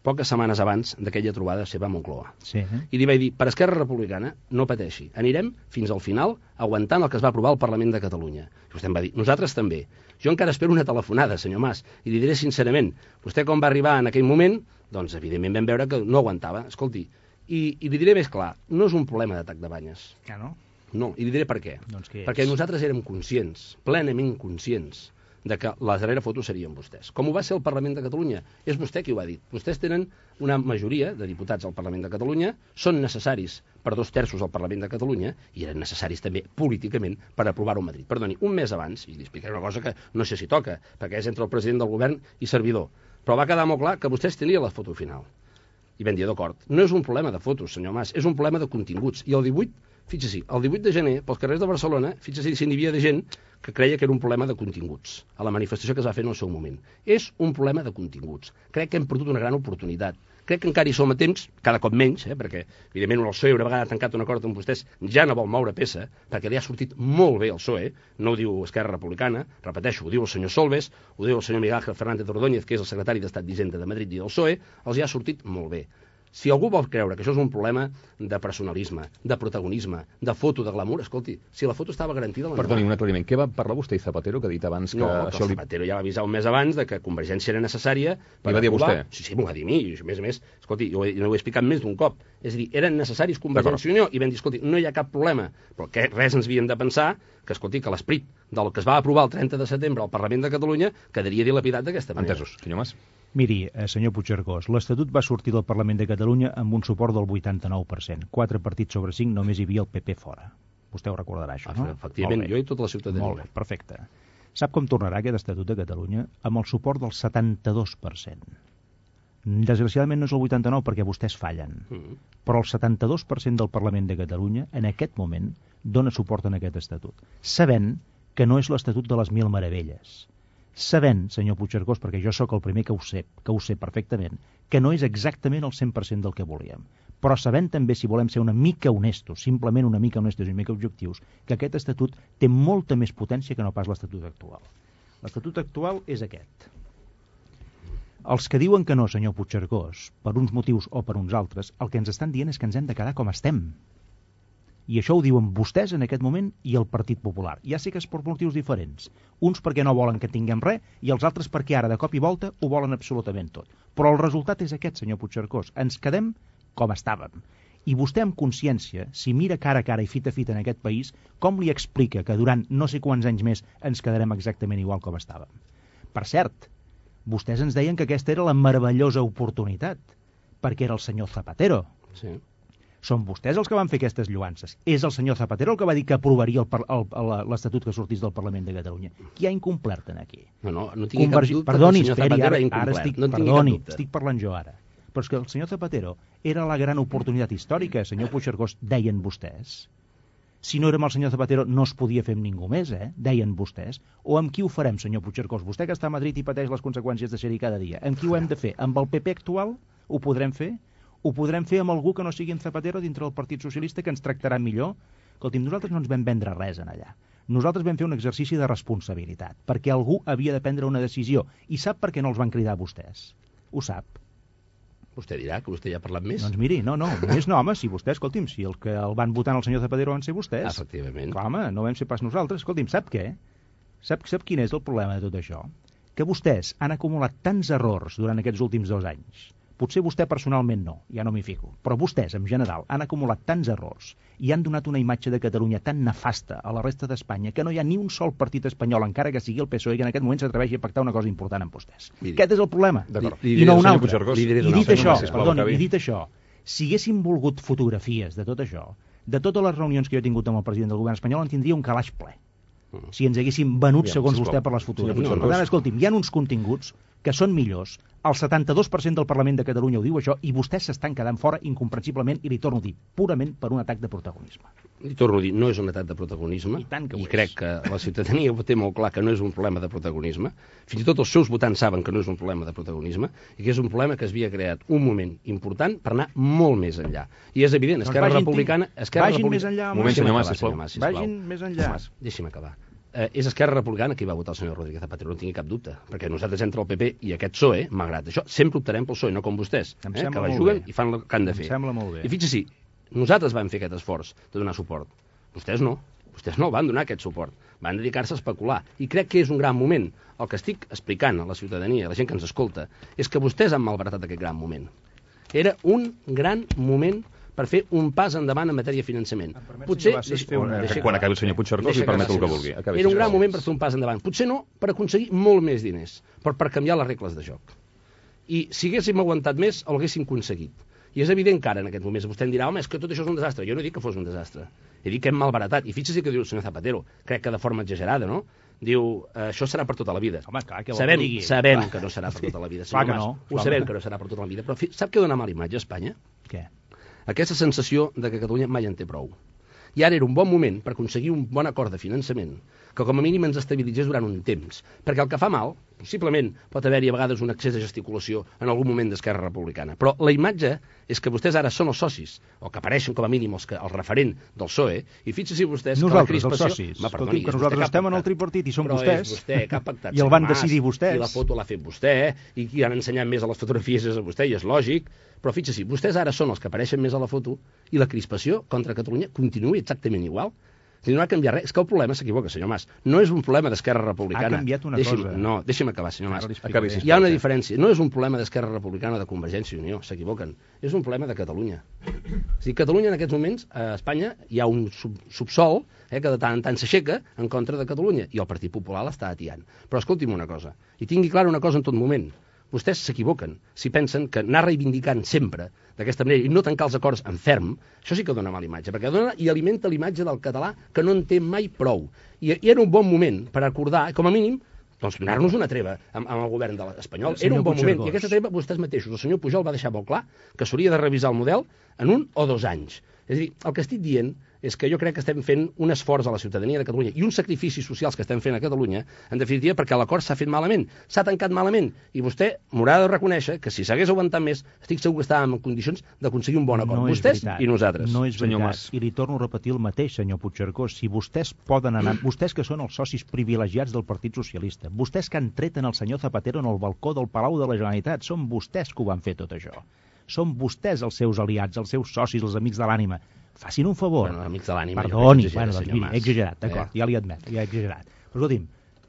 poques setmanes abans d'aquella trobada seva a Moncloa. Sí. I li vaig dir, per Esquerra Republicana, no pateixi, anirem fins al final aguantant el que es va aprovar al Parlament de Catalunya. I vostè em va dir, nosaltres també. Jo encara espero una telefonada, senyor Mas, i li diré sincerament, vostè com va arribar en aquell moment, doncs evidentment vam veure que no aguantava. Escolti, i li diré més clar, no és un problema d'atac de banyes. Ah, no? No, i li diré per què. Doncs perquè nosaltres érem conscients, plenament conscients, de que la darrera foto serien vostès. Com ho va ser el Parlament de Catalunya? És vostè qui ho ha dit. Vostès tenen una majoria de diputats al Parlament de Catalunya, són necessaris per 2/3 al Parlament de Catalunya i eren necessaris també políticament per aprovar-ho a Madrid. Perdoni, un mes abans, i li explicaré una cosa que no sé si toca, perquè és entre el president del govern i servidor, però va quedar molt clar que vostès tenien la foto final. I vam dir, d'acord, no és un problema de fotos, senyor Mas, és un problema de continguts. I el 18, fixi-s'hi, el 18 de gener, pels carrers de Barcelona, fixi-s'hi si n'hi havia de gent que creia que era un problema de continguts, a la manifestació que es va fer en el seu moment. És un problema de continguts. Crec que hem perdut una gran oportunitat. Crec que encara hi som a temps, cada cop menys, perquè, evidentment, el PSOE una vegada ha tancat un acord amb vostès, ja no vol moure peça, perquè li ha sortit molt bé el PSOE, no ho diu Esquerra Republicana, repeteixo, ho diu el senyor Solbes, ho diu el senyor Miguel Ángel Fernández Ordóñez, que és el secretari d'Estat d'Hisenda de Madrid i del PSOE, els hi ha sortit molt bé. Si algú vol creure que això és un problema de personalisme, de protagonisme, de foto, de glamour, escolti, si la foto estava garantida... Perdoni, un aclariment. Què va parlar vostè i Zapatero, que ha dit abans que... No, que Zapatero ja va avisar un mes abans de que Convergència era necessària per va dir aprovar... vostè? Sí, m'ho va dir a mi, i a més, escolti, jo ho he explicat més d'un cop. És a dir, eren necessaris Convergència i Unió, i vam dir, escolti, no hi ha cap problema, però que res ens havíem de pensar que, escolti, que l'esperit del que es va aprovar el 30 de setembre al Parlament de Catalunya quedaria dilapidat d'aquesta manera. Entesos, senyor Mas. Miri, senyor Puigcercós, l'Estatut va sortir del Parlament de Catalunya amb un suport del 89%. 4 partits sobre 5, només hi havia el PP fora. Vostè ho recordarà, això, no? Efectivament, jo i tota la ciutadania. Molt bé, perfecte. Sap com tornarà aquest Estatut de Catalunya? Amb el suport del 72%. Desgraciadament no és el 89% perquè vostès fallen. Però el 72% del Parlament de Catalunya, en aquest moment, dona suport a aquest Estatut. Sabent que no és l'Estatut de les Mil Meravelles. Sabent, senyor Puigcercós, perquè jo sóc el primer que ho sé perfectament, que no és exactament el 100% del que volíem. Però sabent també, si volem ser una mica honestos, simplement una mica honestos i una mica objectius, que aquest Estatut té molta més potència que no pas l'Estatut actual. L'Estatut actual és aquest. Els que diuen que no, senyor Puigcercós, per uns motius o per uns altres, el que ens estan dient és que ens hem de quedar com estem. I això ho diuen vostès en aquest moment i el Partit Popular. Ja sé que és per motius diferents. Uns perquè no volen que tinguem res i els altres perquè ara, de cop i volta, ho volen absolutament tot. Però el resultat és aquest, senyor Puigcercós. Ens quedem com estàvem. I vostè amb consciència, si mira cara a cara i fita a fita en aquest país, com li explica que durant no sé quants anys més ens quedarem exactament igual com estàvem? Per cert, vostès ens deien que aquesta era la meravellosa oportunitat, perquè era el senyor Zapatero. Sí. Són vostès els que van fer aquestes lluances. És el senyor Zapatero el que va dir que aprovaria l'Estatut que sortís del Parlament de Catalunya. Qui ha incomplert en aquí? No tingui cap dubte que el senyor Zapatero ha incomplert. Perdoni, estic parlant jo ara. Però és que el senyor Zapatero era la gran oportunitat històrica, senyor Puigcercós, deien vostès. Si no érem el senyor Zapatero no es podia fer amb ningú més, deien vostès. O amb qui ho farem, senyor Puigcercós? Vostè que està a Madrid i pateix les conseqüències de ser-hi cada dia. Amb qui ho hem de fer? Amb el PP actual? Ho podrem fer? Ho podrem fer amb algú que no sigui en Zapatero dintre del Partit Socialista que ens tractarà millor? Escolti'm, nosaltres no ens vam vendre res en allà. Nosaltres vam fer un exercici de responsabilitat, perquè algú havia de prendre una decisió. I sap per què no els van cridar vostès? Ho sap. Vostè dirà que vostè ja ha parlat més. Doncs miri, no, més no, home, si vostè, escolti'm, si el que el van votar al senyor Zapatero van ser vostès. Efectivament. Clar, home, no vam ser pas nosaltres. Escolti'm, sap què? Sap quin és el problema de tot això? Que vostès han acumulat tants errors durant aquests últims 2 anys. Potser vostè personalment no, ja no m'hi fico, però vostès, en general, han acumulat tants errors i han donat una imatge de Catalunya tan nefasta a la resta d'Espanya que no hi ha ni un sol partit espanyol, encara que sigui el PSOE, que en aquest moment s'atreveixi a pactar una cosa important amb vostès. Miri. Aquest és el problema. I no un altre. I dit això, si haguéssim volgut fotografies de tot això, de totes les reunions que jo he tingut amb el president del govern espanyol, en tindria un calaix ple. Si ens haguéssim venut, segons vostè, per les fotografies. Per tant, escolti'm, hi ha uns continguts que són millors, el 72% del Parlament de Catalunya ho diu això, i vostès s'estan quedant fora incomprensiblement, i li torno a dir, purament per un atac de protagonisme. Li torno a dir, no és un atac de protagonisme, i crec que la ciutadania ho té molt clar que no és un problema de protagonisme, fins i tot els seus votants saben que no és un problema de protagonisme, i que és un problema que es havia creat un moment important per anar molt més enllà. I és evident, Esquerra Republicana... Vagin més enllà. Vagin més enllà. Deixi'm acabar. És Esquerra Republicana qui va votar el senyor Rodríguez Zapatero, no tingui cap dubte, perquè nosaltres entre el PP i aquest PSOE, malgrat això, sempre optarem pel PSOE, no com vostès, que la juguen i fan el que han de fer. Em sembla molt bé. I fixi-s'hi, nosaltres vam fer aquest esforç de donar suport. Vostès no el van donar aquest suport, van dedicar-se a especular, i crec que és un gran moment. El que estic explicant a la ciutadania, a la gent que ens escolta, és que vostès han malbaratat aquest gran moment. Era un gran moment per fer un pas endavant en matèria de finançament. Potser... Quan acabi el senyor Puigcercós li permeto el que vulgui. Era un gran moment per fer un pas endavant. Potser no per aconseguir molt més diners, però per canviar les regles de joc. I si haguéssim aguantat més, ho haguéssim aconseguit. I és evident que ara, en aquests moments, vostè em dirà, home, és que tot això és un desastre. Jo no he dit que fos un desastre. He dit que hem malbaratat. I fixi-s'hi que diu el senyor Zapatero, crec que de forma exagerada, no? Diu, això serà per tota la vida. Home, clar, sabem que no serà per tota la vida. Clar que no. Ho sabem que no serà per tota la vida. Però sap què dona mala imatge a Espanya? Què? Aquesta sensació de que Catalunya mai en té prou. I ara era un bon moment per aconseguir un bon acord de finançament que com a mínim ens estabilitzés durant un temps. Perquè el que fa mal, possiblement, pot haver-hi a vegades un excés de gesticulació en algun moment d'Esquerra Republicana. Però la imatge és que vostès ara són els socis, o que apareixen com a mínim el referent del PSOE, i fixin-se vostès que la crispació... Els socis. Escolti, que nosaltres estem en el tripartit i som vostès. Però és vostè que ha pactat i el van decidir vostès. I la foto l'ha fet vostè, i qui han ensenyat més a les fotografies és a vostè, i és lògic. Però fixin-se, vostès ara són els que apareixen més a la foto i la crispació contra Catalunya continua exactament igual. No ha canviat res. És que el problema s'equivoca, senyor Mas. No és un problema d'Esquerra Republicana. Ha canviat una cosa. No, deixi'm acabar, senyor Mas. Hi ha una diferència. No és un problema d'Esquerra Republicana o de Convergència i Unió, s'equivoquen. És un problema de Catalunya. O sigui, Catalunya en aquests moments, a Espanya, hi ha un subsol que de tant en tant s'aixeca en contra de Catalunya, i el Partit Popular l'està atiant. Però escolti'm una cosa, i tingui clara una cosa en tot moment. Vostès s'equivoquen si pensen que anar reivindicant sempre d'aquesta manera i no tancar els acords en ferm, això sí que dona mala imatge, perquè dona i alimenta l'imatge del català que no en té mai prou. I era un bon moment per acordar, com a mínim, doncs donar-nos una treva amb el govern espanyol. Era un bon moment, i aquesta treva vostès mateixos, el senyor Pujol va deixar molt clar que s'hauria de revisar el model en 1 o 2 anys. És a dir, el que estic dient és que jo crec que estem fent un esforç a la ciutadania de Catalunya i uns sacrificis socials que estem fent a Catalunya, en definitiva, perquè l'acord s'ha fet malament, s'ha tancat malament, i vostè m'haurà de reconèixer que si s'hagués aguantat més, estic segur que estàvem en condicions d'aconseguir un bon acord, vostès i nosaltres. No és veritat, i li torno a repetir el mateix, senyor Puigcercós, si vostès poden anar, vostès que són els socis privilegiats del Partit Socialista, vostès que han tret en el senyor Zapatero en el balcó del Palau de la Generalitat, són vostès que ho van fer tot això. Són vostès els seus aliats, els seus socis, els amics de l'ànima. Facin un favor. Bueno, amics de l'ànima... Perdoni, doncs miri, he exagerat, d'acord, ja li admet, ja he exagerat. Però escolti'm,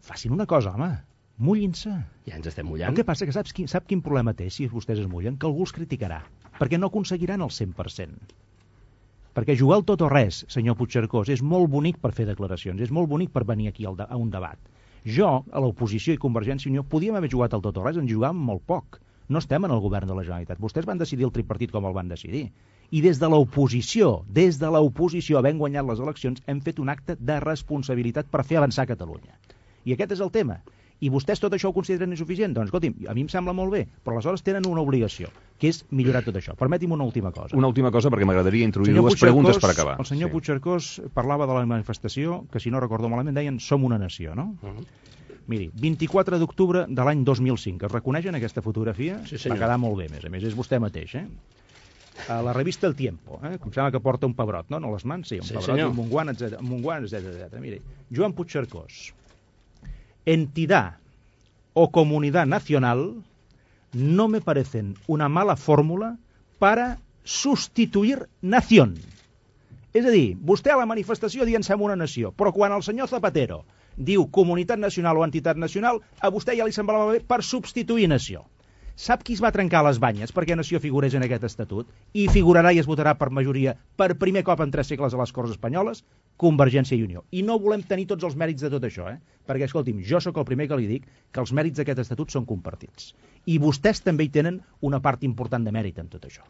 facin una cosa, home, mullin-se. Ja ens estem mullant. El que passa que sap quin problema té si vostès es mullen? Que algú els criticarà, perquè no aconseguiran el 100%. Perquè jugar al tot o res, senyor Puigcercós, és molt bonic per fer declaracions, és molt bonic per venir aquí a un debat. Jo, a l'oposició i Convergència i Unió, podíem haver jugat al tot o res, en jugàvem molt poc. No estem en el govern de la Generalitat. Vostès van decidir el tripartit com el van decidir. I des de l'oposició, havent guanyat les eleccions, hem fet un acte de responsabilitat per fer avançar Catalunya. I aquest és el tema. I vostès tot això ho consideren insuficient? Doncs, escolti'm, a mi em sembla molt bé, però aleshores tenen una obligació, que és millorar tot això. Permeti'm una última cosa. Una última cosa, perquè m'agradaria introduir dues preguntes per acabar. El senyor Puigcercós parlava de la manifestació, que si no recordo malament deien som una nació, no? Miri, 24 d'octubre de l'any 2005. Es reconeixen aquesta fotografia? Sí, senyor. Va quedar molt bé, a més és vostè mateix, A la revista El Tiempo, com sembla que porta un pebrot, no? No les mans, sí, un pebrot, senyor. un guant, etc. Miri, Joan Puigcercós. Entidad o comunidad nacional no me parecen una mala fórmula para sustituir nación. És a dir, vostè a la manifestació dient som una nació, però quan el senyor Zapatero diu comunitat nacional o entitat nacional, a vostè ja li semblava bé per substituir nació. Sap qui es va trencar les banyes perquè nació figurés en aquest estatut? I figurarà i es votarà per majoria per primer cop en 3 segles a les Corts Espanyoles? Convergència i Unió. I no volem tenir tots els mèrits de tot això, Perquè, escolti'm, jo sóc el primer que li dic que els mèrits d'aquest estatut són compartits. I vostès també hi tenen una part important de mèrit en tot això.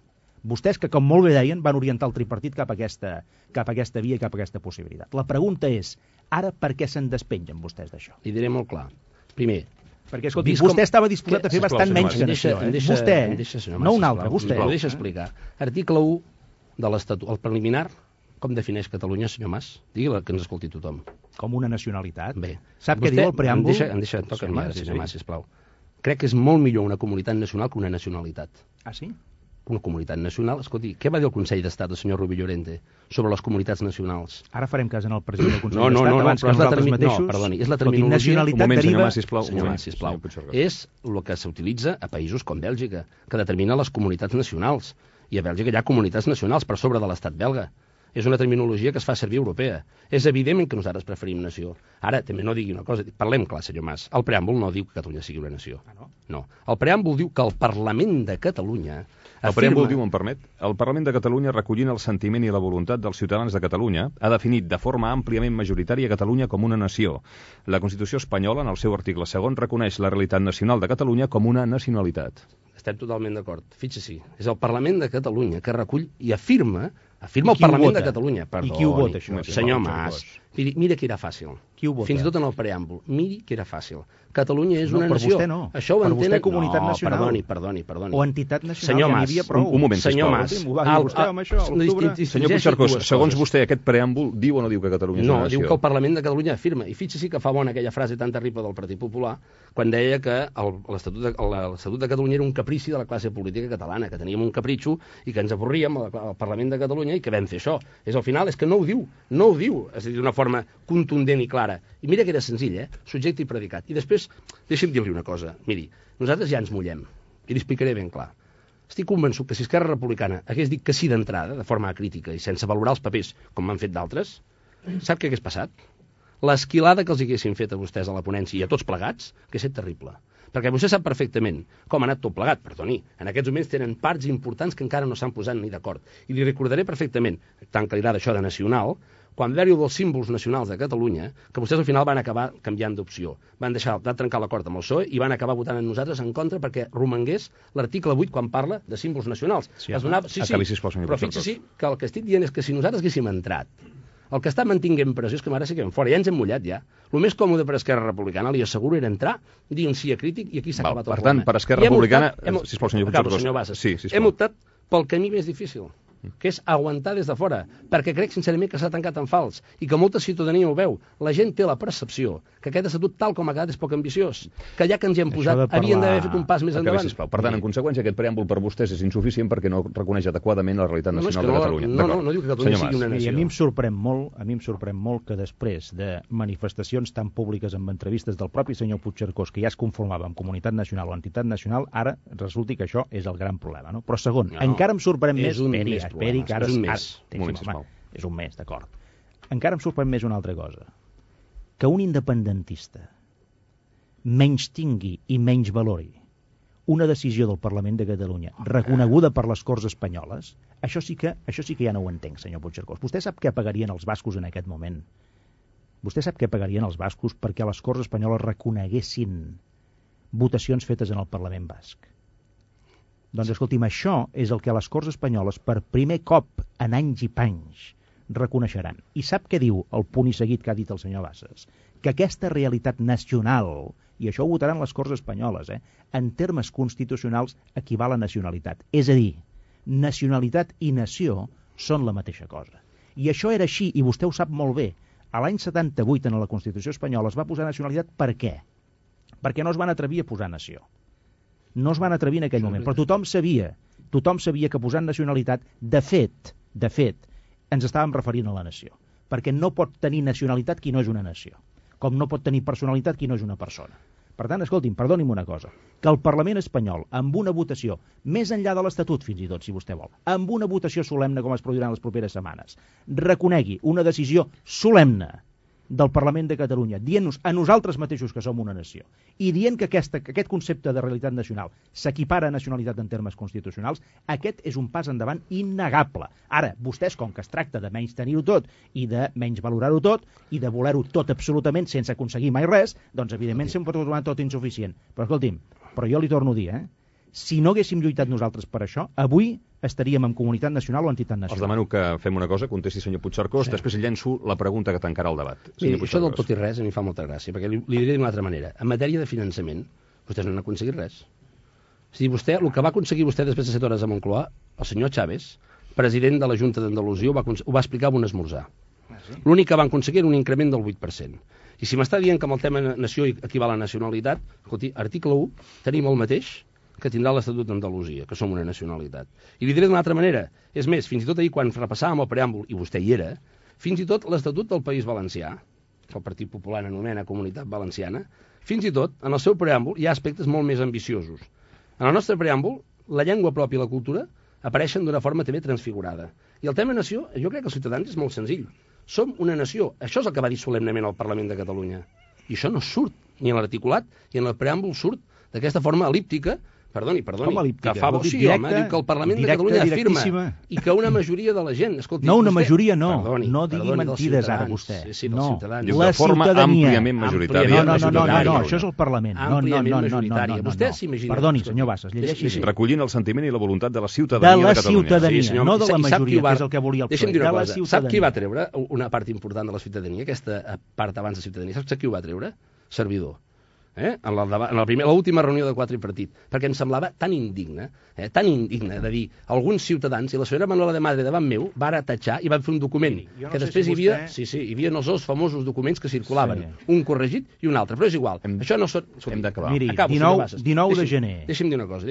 Vostès, que com molt bé deien, van orientar el tripartit cap a aquesta via i cap a aquesta possibilitat. La pregunta és, ara per què se'n despengen vostès d'això? Li diré molt clar. Primer, perquè, escolti, vostè estava disposat a fer bastant menys que nació. Vostè, no un altre, vostè. Ho deixa explicar. Article 1 de l'Estatut, el preliminar, com defineix Catalunya, senyor Mas? Digui-la, que ens escolti tothom. Com una nacionalitat? Bé. Sap què diu el preàmbul? Em deixa tocar senyor Mas, sisplau. Crec que és molt millor una comunitat nacional que una nacionalitat. Ah, sí? Una comunitat nacional. Escolti, què va dir el Consell d'Estat, el senyor Rubio Llorente, sobre les comunitats nacionals? Ara farem cas en el president del Consell d'Estat abans que nosaltres mateixos. No, perdoni, és la terminologia... Nacionalitat deriva... Senyor Mas, sisplau. És el que s'utilitza a països com Bèlgica, que determina les comunitats nacionals. I a Bèlgica hi ha comunitats nacionals per sobre de l'estat belga. És una terminologia que es fa servir europea. És evident que nosaltres preferim nació. Ara, també no digui una cosa, parlem clar, senyor Mas. El preàmbul no diu que Catalunya sigui una nació. No. El preàmbul diu que el Parlament de Catalunya El preàmbul diu, em permet, el Parlament de Catalunya, recollint el sentiment i la voluntat dels ciutadans de Catalunya, ha definit de forma àmpliament majoritària Catalunya com una nació. La Constitució espanyola, en el seu article 2, reconeix la realitat nacional de Catalunya com una nacionalitat. Estem totalment d'acord. Fixi-s'hi, és el Parlament de Catalunya que recull i afirma el Parlament de Catalunya. Perdoni, i qui ho vota, això? Senyor Mas, mira que era fàcil. Qui ho vota? Fins i tot en el preàmbul. Miri que era fàcil. Catalunya és una nació. Per vostè no. Això ho entenen... Per vostè comunitat nacional. Perdoni. O entitat nacional, senyor Mas, ja n'hi havia prou. Un moment, senyor Mas. Ho va dir vostè amb això, octubre. Senyor Puigcercós, segons vostè, aquest preàmbul diu o no diu que Catalunya és una nació? No, diu que el Parlament de Catalunya afirma. I fixi-s'hi que fa bona aquella frase tan terrible del Partit Popular quan deia que l'Estatut de Catalunya era un caprici de la classe política catalana, que teníem un capritxo i que ens avorríem al Parlament de Catalunya i que vam fer això. Al final és que no ho diu, és a dir, d'una forma contundent i clara. I mira que era senzill, subjecte i predicat. I després, deixi'm dir-li una cosa. Miri, nosaltres ja ens mullem, i li explicaré ben clar. Estic convençut que si Esquerra Republicana hagués dit que sí d'entrada, de forma crítica i sense valorar els papers, com m'han fet d'altres, sap què hagués passat? L'esquilada que els haguessin fet a vostès a la ponència i a tots plegats, que és terrible. Perquè vostè sap perfectament com ha anat tot plegat, perdoni. En aquests moments tenen parts importants que encara no s'han posat ni d'acord. I li recordaré perfectament, tant que li agrada això de nacional, quan va haver-hi dels símbols nacionals de Catalunya, que vostès al final van acabar canviant d'opció. Van trencar l'acord amb el PSOE i van acabar votant en nosaltres en contra perquè romangués l'article 8 quan parla de símbols nacionals. Sí, però fixi-s'hi que el que estic dient és que si nosaltres haguéssim entrat, el que està mantinguent pressió és que ara sí que vam fora, ja ens hem mullat ja. El més còmode per Esquerra Republicana, li asseguro, era entrar, dir un sí acrític i aquí s'ha acabat el problema. Per tant, per Esquerra Republicana... Sisplau, senyor Puigcercós. Hem optat pel camí més difícil, que és aguantar des de fora, perquè crec sincerament que s'ha tancat en fals i que molta ciutadania ho veu. La gent té la percepció que aquest estatut tal com ha quedat és poc ambiciós, que ja que ens hi hem posat havien d'haver fet un pas més endavant. Per tant, en conseqüència, aquest preàmbul per vostès és insuficient perquè no reconeix adequadament la realitat nacional de Catalunya. No diu que Catalunya sigui una nació. A mi em sorprèn molt que després de manifestacions tan públiques amb entrevistes del propi senyor Puigcercós, que ja es conformava amb comunitat nacional o entitat nacional, ara resulti que això és el gran problema. No? Però segon, encara em sorprèn més... Esperi, que ara és un mes, d'acord. Encara em sorprèn més una altra cosa. Que un independentista menys tingui i menys valori una decisió del Parlament de Catalunya reconeguda per les Corts Espanyoles, això sí que ja no ho entenc, senyor Puigcercós. Vostè sap què pagarien els bascos en aquest moment? Vostè sap què pagarien els bascos perquè les Corts Espanyoles reconeguessin votacions fetes en el Parlament basc? Doncs escolti'm, això és el que les Corts Espanyoles per primer cop en anys i panys reconeixeran. I sap què diu el punt i seguit que ha dit el senyor Bassas? Que aquesta realitat nacional i això ho votaran les Corts Espanyoles, en termes constitucionals equival a nacionalitat. És a dir, nacionalitat i nació són la mateixa cosa. I això era així, i vostè ho sap molt bé. A l'any 78, en la Constitució espanyola, es va posar nacionalitat per què? Perquè no es van atrevir a posar nació. No es van atrevir en aquell moment, però tothom sabia que posant nacionalitat, de fet, ens estàvem referint a la nació. Perquè no pot tenir nacionalitat qui no és una nació, com no pot tenir personalitat qui no és una persona. Per tant, escolti'm, perdoni'm una cosa, que el Parlament espanyol, amb una votació, més enllà de l'Estatut, fins i tot, si vostè vol, amb una votació solemne com es produirà en les properes setmanes, reconegui una decisió solemne del Parlament de Catalunya, dient-nos a nosaltres mateixos que som una nació, i dient que aquest concepte de realitat nacional s'equipara a nacionalitat en termes constitucionals, aquest és un pas endavant innegable. Ara, vostès, com que es tracta de menys tenir-ho tot i de menys valorar-ho tot i de voler-ho tot absolutament sense aconseguir mai res, doncs evidentment sempre pot trobar tot insuficient. Però escolti'm, jo li torno a dir, si no haguéssim lluitat nosaltres per això, avui estaríem en comunitat nacional o entitat nacional. Els demano que fem una cosa, contesti senyor Puigcercós, després llenço la pregunta que tancarà el debat. Miri, això del tot i res a mi fa molta gràcia, perquè li diré d'una altra manera. En matèria de finançament, vostès no han aconseguit res. És a dir, el que va aconseguir vostè després de 7 hores a Moncloa, el senyor Chaves, president de la Junta d'Andalusia, ho va explicar en un esmorzar. L'únic que van aconseguir era un increment del 8%. I si m'està dient que amb el tema nació equival a nacionalitat, escolti, article 1, tenim el mateix que tindrà l'Estatut d'Andalusia, que som una nacionalitat. I li diré d'una altra manera. És més, fins i tot ahir, quan repassàvem el preàmbul, i vostè hi era, fins i tot l'Estatut del País Valencià, que el Partit Popular anomena Comunitat Valenciana, fins i tot, en el seu preàmbul, hi ha aspectes molt més ambiciosos. En el nostre preàmbul, la llengua pròpia i la cultura apareixen d'una forma també transfigurada. I el tema nació, jo crec que els ciutadans és molt senzill. Som una nació. Això és el que va dir solemnement el Parlament de Catalunya. I això no surt ni en l'articulat, ni en el preàmbul surt d'aquesta forma elíptica. Perdoni, que fa bo, sí, home, diu que el Parlament de Catalunya afirma i que una majoria de la gent... Escolti, no, una majoria no, no digui mentides ara vostè. No, de forma àmpliament majoritària. No, això és el Parlament. Àmpliament majoritària. Vostè s'imagina... Perdoni, senyor Bassas, llegeixi. Recollint el sentiment i la voluntat de la ciutadania de Catalunya. De la ciutadania, no de la majoria, que és el que volia el PSOE. Deixa'm dir una cosa, sap qui va treure una part important de la ciutadania, aquesta part abans de ciutadania, sap qui ho va treure? Servidor. En l'última reunió de quatre tripartit, perquè em semblava tan indigne de dir alguns ciutadans, i la senyora Manuela de Madre davant meu va ara tatxar i van fer un document que després hi havia els dos famosos documents que circulaven, un corregit i un altre, però és igual. Això no són... Hem d'acabar. Miri, 19 de gener. Deixi'm dir una cosa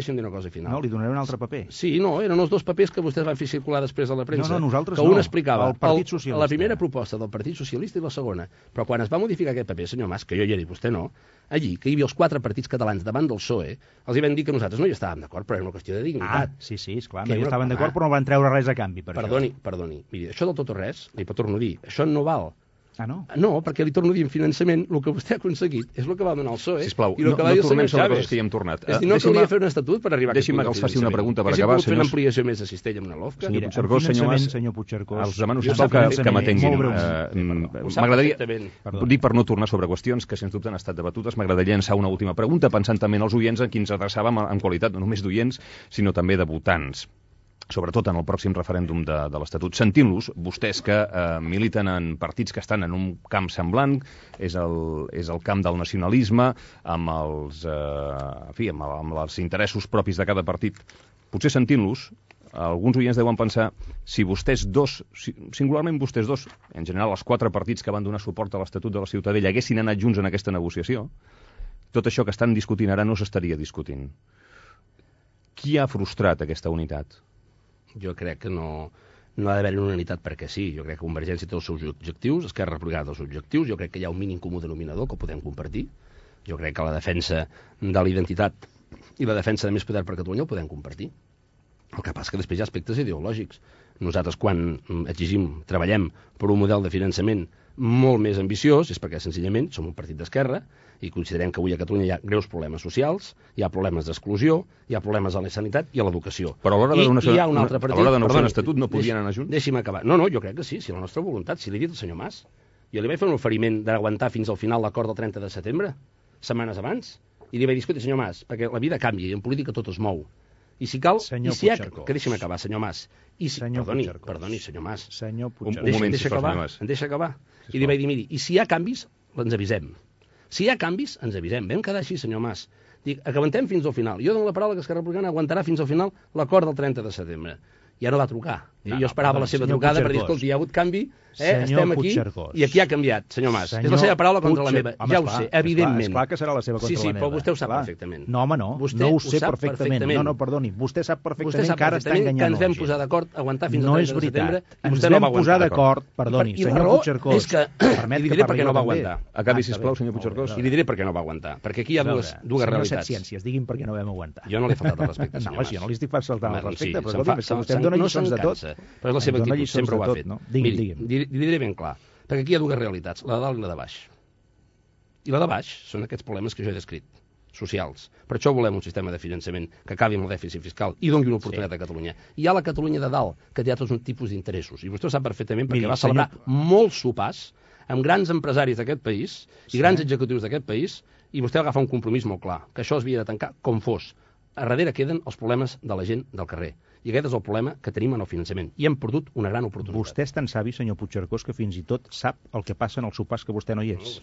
final. No, li donaré un altre paper. Sí, no, eren els dos papers que vostès van fer circular després a la premsa. No, nosaltres no. Que un explicava el Partit Socialista. La primera proposta del Partit Socialista i la segona. Però quan es va modificar aquest paper, senyor Mas, que jo ja he dit, vostè no, allí, que hi havia els 4 partits catalans davant del PSOE, els hi van dir que nosaltres no hi estàvem d'acord, però era una qüestió de dignitat. Sí, esclar, no hi estaven d'acord, però no van treure res a canvi per això. Perdoni, miri, això del tot o res, li torno a dir, això no val. No? No, perquè li torno a dir, en finançament, el que vostè ha aconseguit és el que va donar el PSOE. Sisplau, i el que va dir el senyor Chaves. Coses que hi hem tornat. És dir, no calia fer un estatut per arribar a aquest punt. Deixi'm que els faci una pregunta per acabar, senyors. Fer una ampliació més de cistella amb una LOFCA. Mira, senyor Puigcercós. Els demano, sisplau, que m'atenguin. M'agradaria, dic per no tornar sobre qüestions que, sens dubte, han estat debatudes, m'agradaria llançar una última pregunta, pensant també en els oients a qui ens adreçàvem en qualitat no només d'oients, sinó també de votants, sobretot en el pròxim referèndum de l'Estatut. Sentint-los, vostès que militen en partits que estan en un camp semblant, és el camp del nacionalisme, amb els interessos propis de cada partit. Potser sentint-los, alguns oients deuen pensar, si vostès dos, singularment vostès dos, en general els 4 partits que van donar suport a l'Estatut de la Ciutadella, haguessin anat junts en aquesta negociació, tot això que estan discutint ara no s'estaria discutint. Qui ha frustrat aquesta unitat? Jo crec que no ha d'haver-hi una unitat perquè sí. Jo crec que Convergència té els seus objectius, Esquerra Republicana té els objectius, jo crec que hi ha un mínim comú denominador que ho podem compartir. Jo crec que la defensa de la identitat i la defensa de més poder per Catalunya ho podem compartir. El que passa que després hi ha aspectes ideològics. Nosaltres, quan treballem per un model de finançament molt més ambiciós, és perquè senzillament som un partit d'esquerra i considerem que avui a Catalunya hi ha greus problemes socials, hi ha problemes d'exclusió, hi ha problemes a la sanitat i a l'educació. Però a l'hora de negociar un estatut no podien anar junts? Deixi'm acabar. No, jo crec que sí, si la nostra voluntat, si l'he dit al senyor Mas. Jo li vaig fer un oferiment d'aguantar fins al final l'acord del 30 de setembre, setmanes abans, i li vaig dir, escolta, senyor Mas, perquè la vida canvia i en política tot es mou. I si cal, que deixi'm acabar, senyor Mas. Perdoni, senyor Mas. Un moment, em deixa acabar. I li vaig dir, miri, i si hi ha canvis, ens avisem. Si hi ha canvis, ens avisem. Vam quedar així, senyor Mas. Dic, que aguantem fins al final. Jo dono la paraula que Esquerra Republicana aguantarà fins al final l'acord del 30 de setembre. Ja no va trucar. Jo esperava la seva trucada per dir, escolta, hi ha hagut canvi, estem aquí, i aquí ha canviat, senyor Mas. És la seva paraula contra la meva. Ja ho sé, evidentment. Esclar que serà la seva contra la meva. Sí, però vostè ho sap perfectament. No, home, no. No ho sé perfectament. No, perdoni. Vostè sap perfectament que ara està enganyant que ens vam posar d'acord a aguantar fins al 30 de setembre i vostè no va aguantar d'acord. Perdoni, senyor Puigcercós. I li diré per què no va aguantar. Acabi, sisplau, senyor Puigcercós. I li diré per què no va aguantar. Perquè aquí hi ha dues realitats. Ciències, digui'm per què no vam aguantar. Jo no l'he faltat al respecte, senyor Mas. No, jo no li estic faltant al respecte, però escolti'm, que vostè em dona lliçons de tot. Però és la seva actitud, sempre ho ha fet. Miri, li diré ben clar, perquè aquí hi ha dues realitats, la de dalt i la de baix. I la de baix són aquests problemes que jo he descrit, socials. Per això volem un sistema de finançament que acabi amb el dèficit fiscal i doni una oportunitat a Catalunya. Hi ha la Catalunya de dalt, que té tots un tipus d'interessos, i vostè ho sap perfectament perquè va celebrar molts sopars amb grans empresaris d'aquest país i grans executius d'aquest país, i vostè va agafar un compromís molt clar, que això es havia de tancar com fos. A darrere queden els problemes de la gent del carrer. I aquest és el problema que tenim en el finançament. I hem perdut una gran oportunitat. Vostè és tan savi, senyor Puigcercós, que fins i tot sap el que passa en els sopars que vostè no hi és.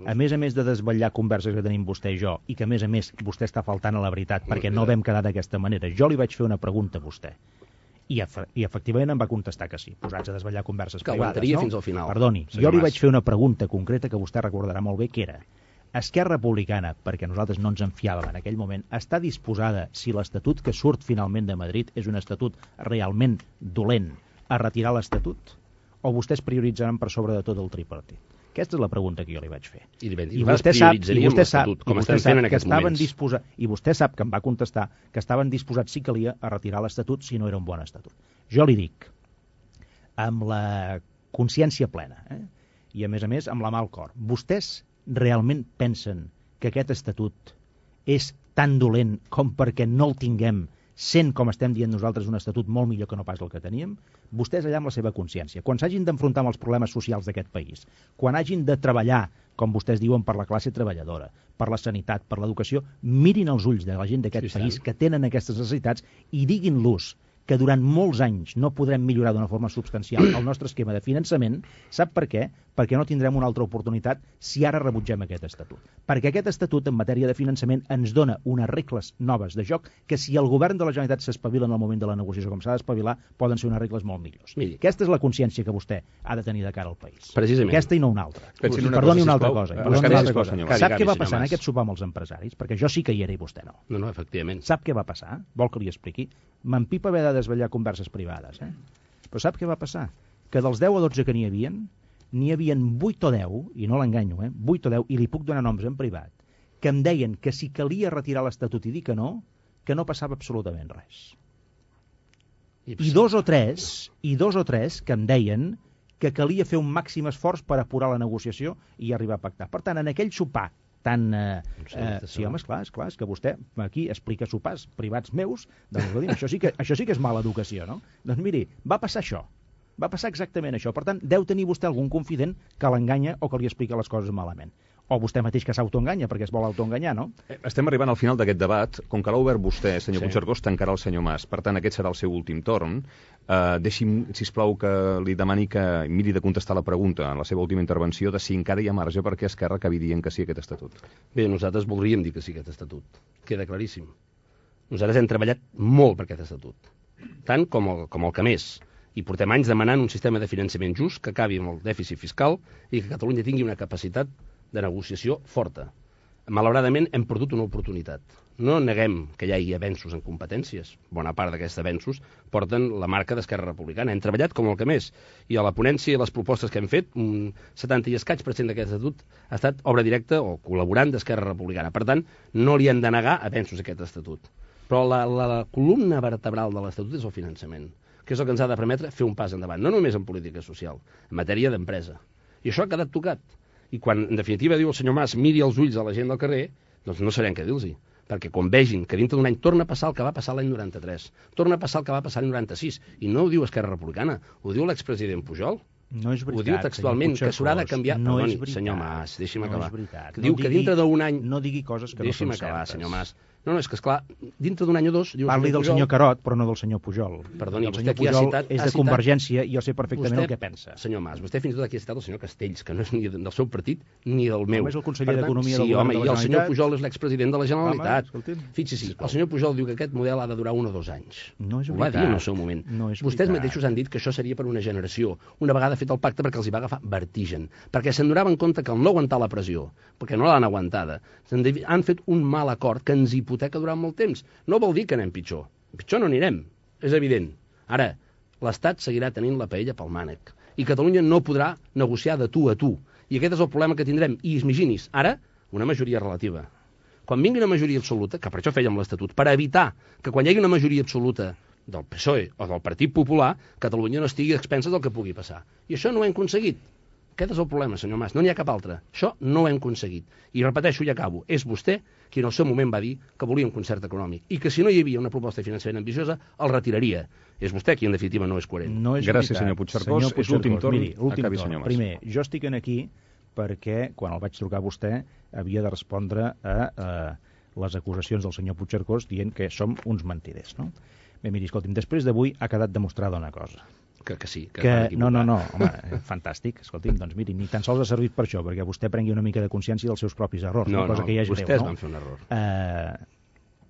A més de desvetllar converses que tenim vostè i jo, i que a més vostè està faltant a la veritat, perquè no vam quedar d'aquesta manera. Jo li vaig fer una pregunta a vostè. I efectivament em va contestar que sí, posats a desvetllar converses privades. Que aguantaria fins al final. Perdoni, jo li vaig fer una pregunta concreta que vostè recordarà molt bé, que era: Esquerra Republicana, perquè nosaltres no ens en fiàvem en aquell moment, està disposada, si l'Estatut que surt finalment de Madrid és un estatut realment dolent, a retirar l'Estatut? O vostès prioritzaran per sobre de tot el tripartit? Aquesta és la pregunta que jo li vaig fer. I vostè sap que em va contestar que estaven disposats, si calia, a retirar l'Estatut si no era un bon estatut. Jo li dic, amb la consciència plena, i a més amb la mà al cor, vostès realment pensen que aquest estatut és tan dolent com perquè no el tinguem, sent, com estem dient nosaltres, un estatut molt millor que no pas el que teníem? Vostès allà amb la seva consciència, quan s'hagin d'enfrontar amb els problemes socials d'aquest país, quan hagin de treballar, com vostès diuen, per la classe treballadora, per la sanitat, per l'educació, mirin els ulls de la gent d'aquest país que tenen aquestes necessitats i diguin-los que durant molts anys no podrem millorar d'una forma substancial el nostre esquema de finançament. Sap per què? Perquè no tindrem una altra oportunitat si ara rebutgem aquest estatut. Perquè aquest estatut en matèria de finançament ens dona unes regles noves de joc que si el govern de la Generalitat s'espavila en el moment de la negociació com s'ha d'espavilar, poden ser unes regles molt millors. Miri, aquesta és la consciència que vostè ha de tenir de cara al país. Precisament. Aquesta i no una altra. Perdoni una altra cosa. Sap què va passar en aquest sopar amb els empresaris? Perquè jo sí que hi era i vostè no. No, efectivament. Sap què va passar? Vol que li expliqui? M'empipa haver de desvetllar converses privades, Però sap què va passar? Que dels 10 o 12 que n'hi havien 8 o 10, i no l'enganyo, 8 o 10, i li puc donar noms en privat, que em deien que si calia retirar l'Estatut i dir que no passava absolutament res. I dos o tres que em deien que calia fer un màxim esforç per apurar la negociació i arribar a pactar. Per tant, en aquell sopar sí, home, esclar, és que vostè aquí explica sopars privats meus, doncs això sí que és mala educació, no? Doncs miri, va passar això, va passar exactament això. Per tant, deu tenir vostè algun confident que l'enganya o que li explica les coses malament. O vostè mateix que s'autoenganya, perquè es vol autoenganyar, no? Estem arribant al final d'aquest debat. Com que l'ha obert vostè, senyor Puigcercós, tancarà el senyor Mas. Per tant, aquest serà el seu últim torn. Deixi'm, sisplau, que li demani que miri de contestar la pregunta en la seva última intervenció de si encara hi ha marge perquè Esquerra acabi dient que sí a aquest estatut. Bé, nosaltres voldríem dir que sí a aquest estatut. Queda claríssim. Nosaltres hem treballat molt per aquest estatut. Tant com el que més. I portem anys demanant un sistema de finançament just que acabi amb el dèficit fiscal i que Catalunya tingui una capacitat de negociació forta. Malauradament hem perdut una oportunitat. No neguem que hi hagi avenços en competències. Bona part d'aquests avenços porten la marca d'Esquerra Republicana. Hem treballat com el que més. I a la ponència i les propostes que hem fet, un 70 i escaig % d'aquest estatut ha estat obra directa o col·laborant d'Esquerra Republicana. Per tant, no li hem de negar avenços a aquest estatut. Però la columna vertebral de l'estatut és el finançament, que és el que ens ha de permetre fer un pas endavant, no només en política social, en matèria d'empresa. I això ha quedat tocat. I quan, en definitiva, diu el senyor Mas, miri els ulls a la gent del carrer, doncs no sabem què dir-los. Perquè quan vegin que dintre d'un any torna a passar el que va passar l'any 93, torna a passar el que va passar l'any 96, i no ho diu Esquerra Republicana, ho diu l'expresident Pujol, No és veritat, ho diu textualment, que s'haurà de canviar... No és Perdoni, veritat. senyor Mas, deixi'm acabar. No és veritat. Diu que dintre d'un any... No digui coses que no són certes. Deixi'm acabar, senyor Mas. No, és que, esclar, dintre d'un any o dos... Parli del senyor Carot, però no del senyor Pujol. Perdoni, el vostè senyor aquí ha Pujol citat... és de Convergència i jo sé perfectament el que pensa. Senyor Mas, vostè fins i tot aquí ha citat el senyor Castells, que no és ni del seu partit ni del meu. És el conseller d'Economia del Govern de la Generalitat. Sí, home, i el senyor Pujol és l'expresident de la Generalitat. Fixi-s'hi, el senyor Pujol diu que aquest model ha de durar 1 o 2 anys. No és veritat. Ho va dir en el seu moment. No és Vostès veritat. mateixos han dit que això seria per una generació. Una vegada fet el pacte perquè els hi va agafar vertigen. Perquè se'n donaven compte que al no aguantar la pressió, perquè no l'han aguantada, han fet un mal acord que ens hipoteca durant molt temps. No vol dir que anem pitjor. Pitjor no anirem, és evident. Ara, l'Estat seguirà tenint la paella pel mànec i Catalunya no podrà negociar de tu a tu. I aquest és el problema que tindrem. I imaginis, ara, una majoria relativa. Quan vingui una majoria absoluta, que per això fèiem l'Estatut, per evitar que quan hi hagi una majoria absoluta del PSOE o del Partit Popular, Catalunya no estigui a expenses del que pugui passar. I això no ho hem aconseguit. Aquest és el problema, senyor Mas, no n'hi ha cap altre. Això no ho hem aconseguit. I repeteixo i acabo, és vostè qui en el seu moment va dir que volia un concert econòmic i que si no hi havia una proposta de finançament ambiciosa, el retiraria. És vostè qui en definitiva no és coherent. No és Gràcies, veritat. senyor Puigcercós. És l'últim torn. Miri, l'últim Acabi, torn. senyor Mas. Primer, jo estic aquí perquè quan el vaig trucar a vostè havia de respondre a les acusacions del senyor Puigcercós dient que som uns mentiders, no? Bé, miri, escolti'm, després d'avui ha quedat demostrada una cosa. Que sí, que no, home, fantàstic. Escolti'm, doncs miri, ni tan sols ha servit per això, perquè vostè prengui una mica de consciència dels seus propis errors, cosa que ja és greu, no? Vostès van fer un error.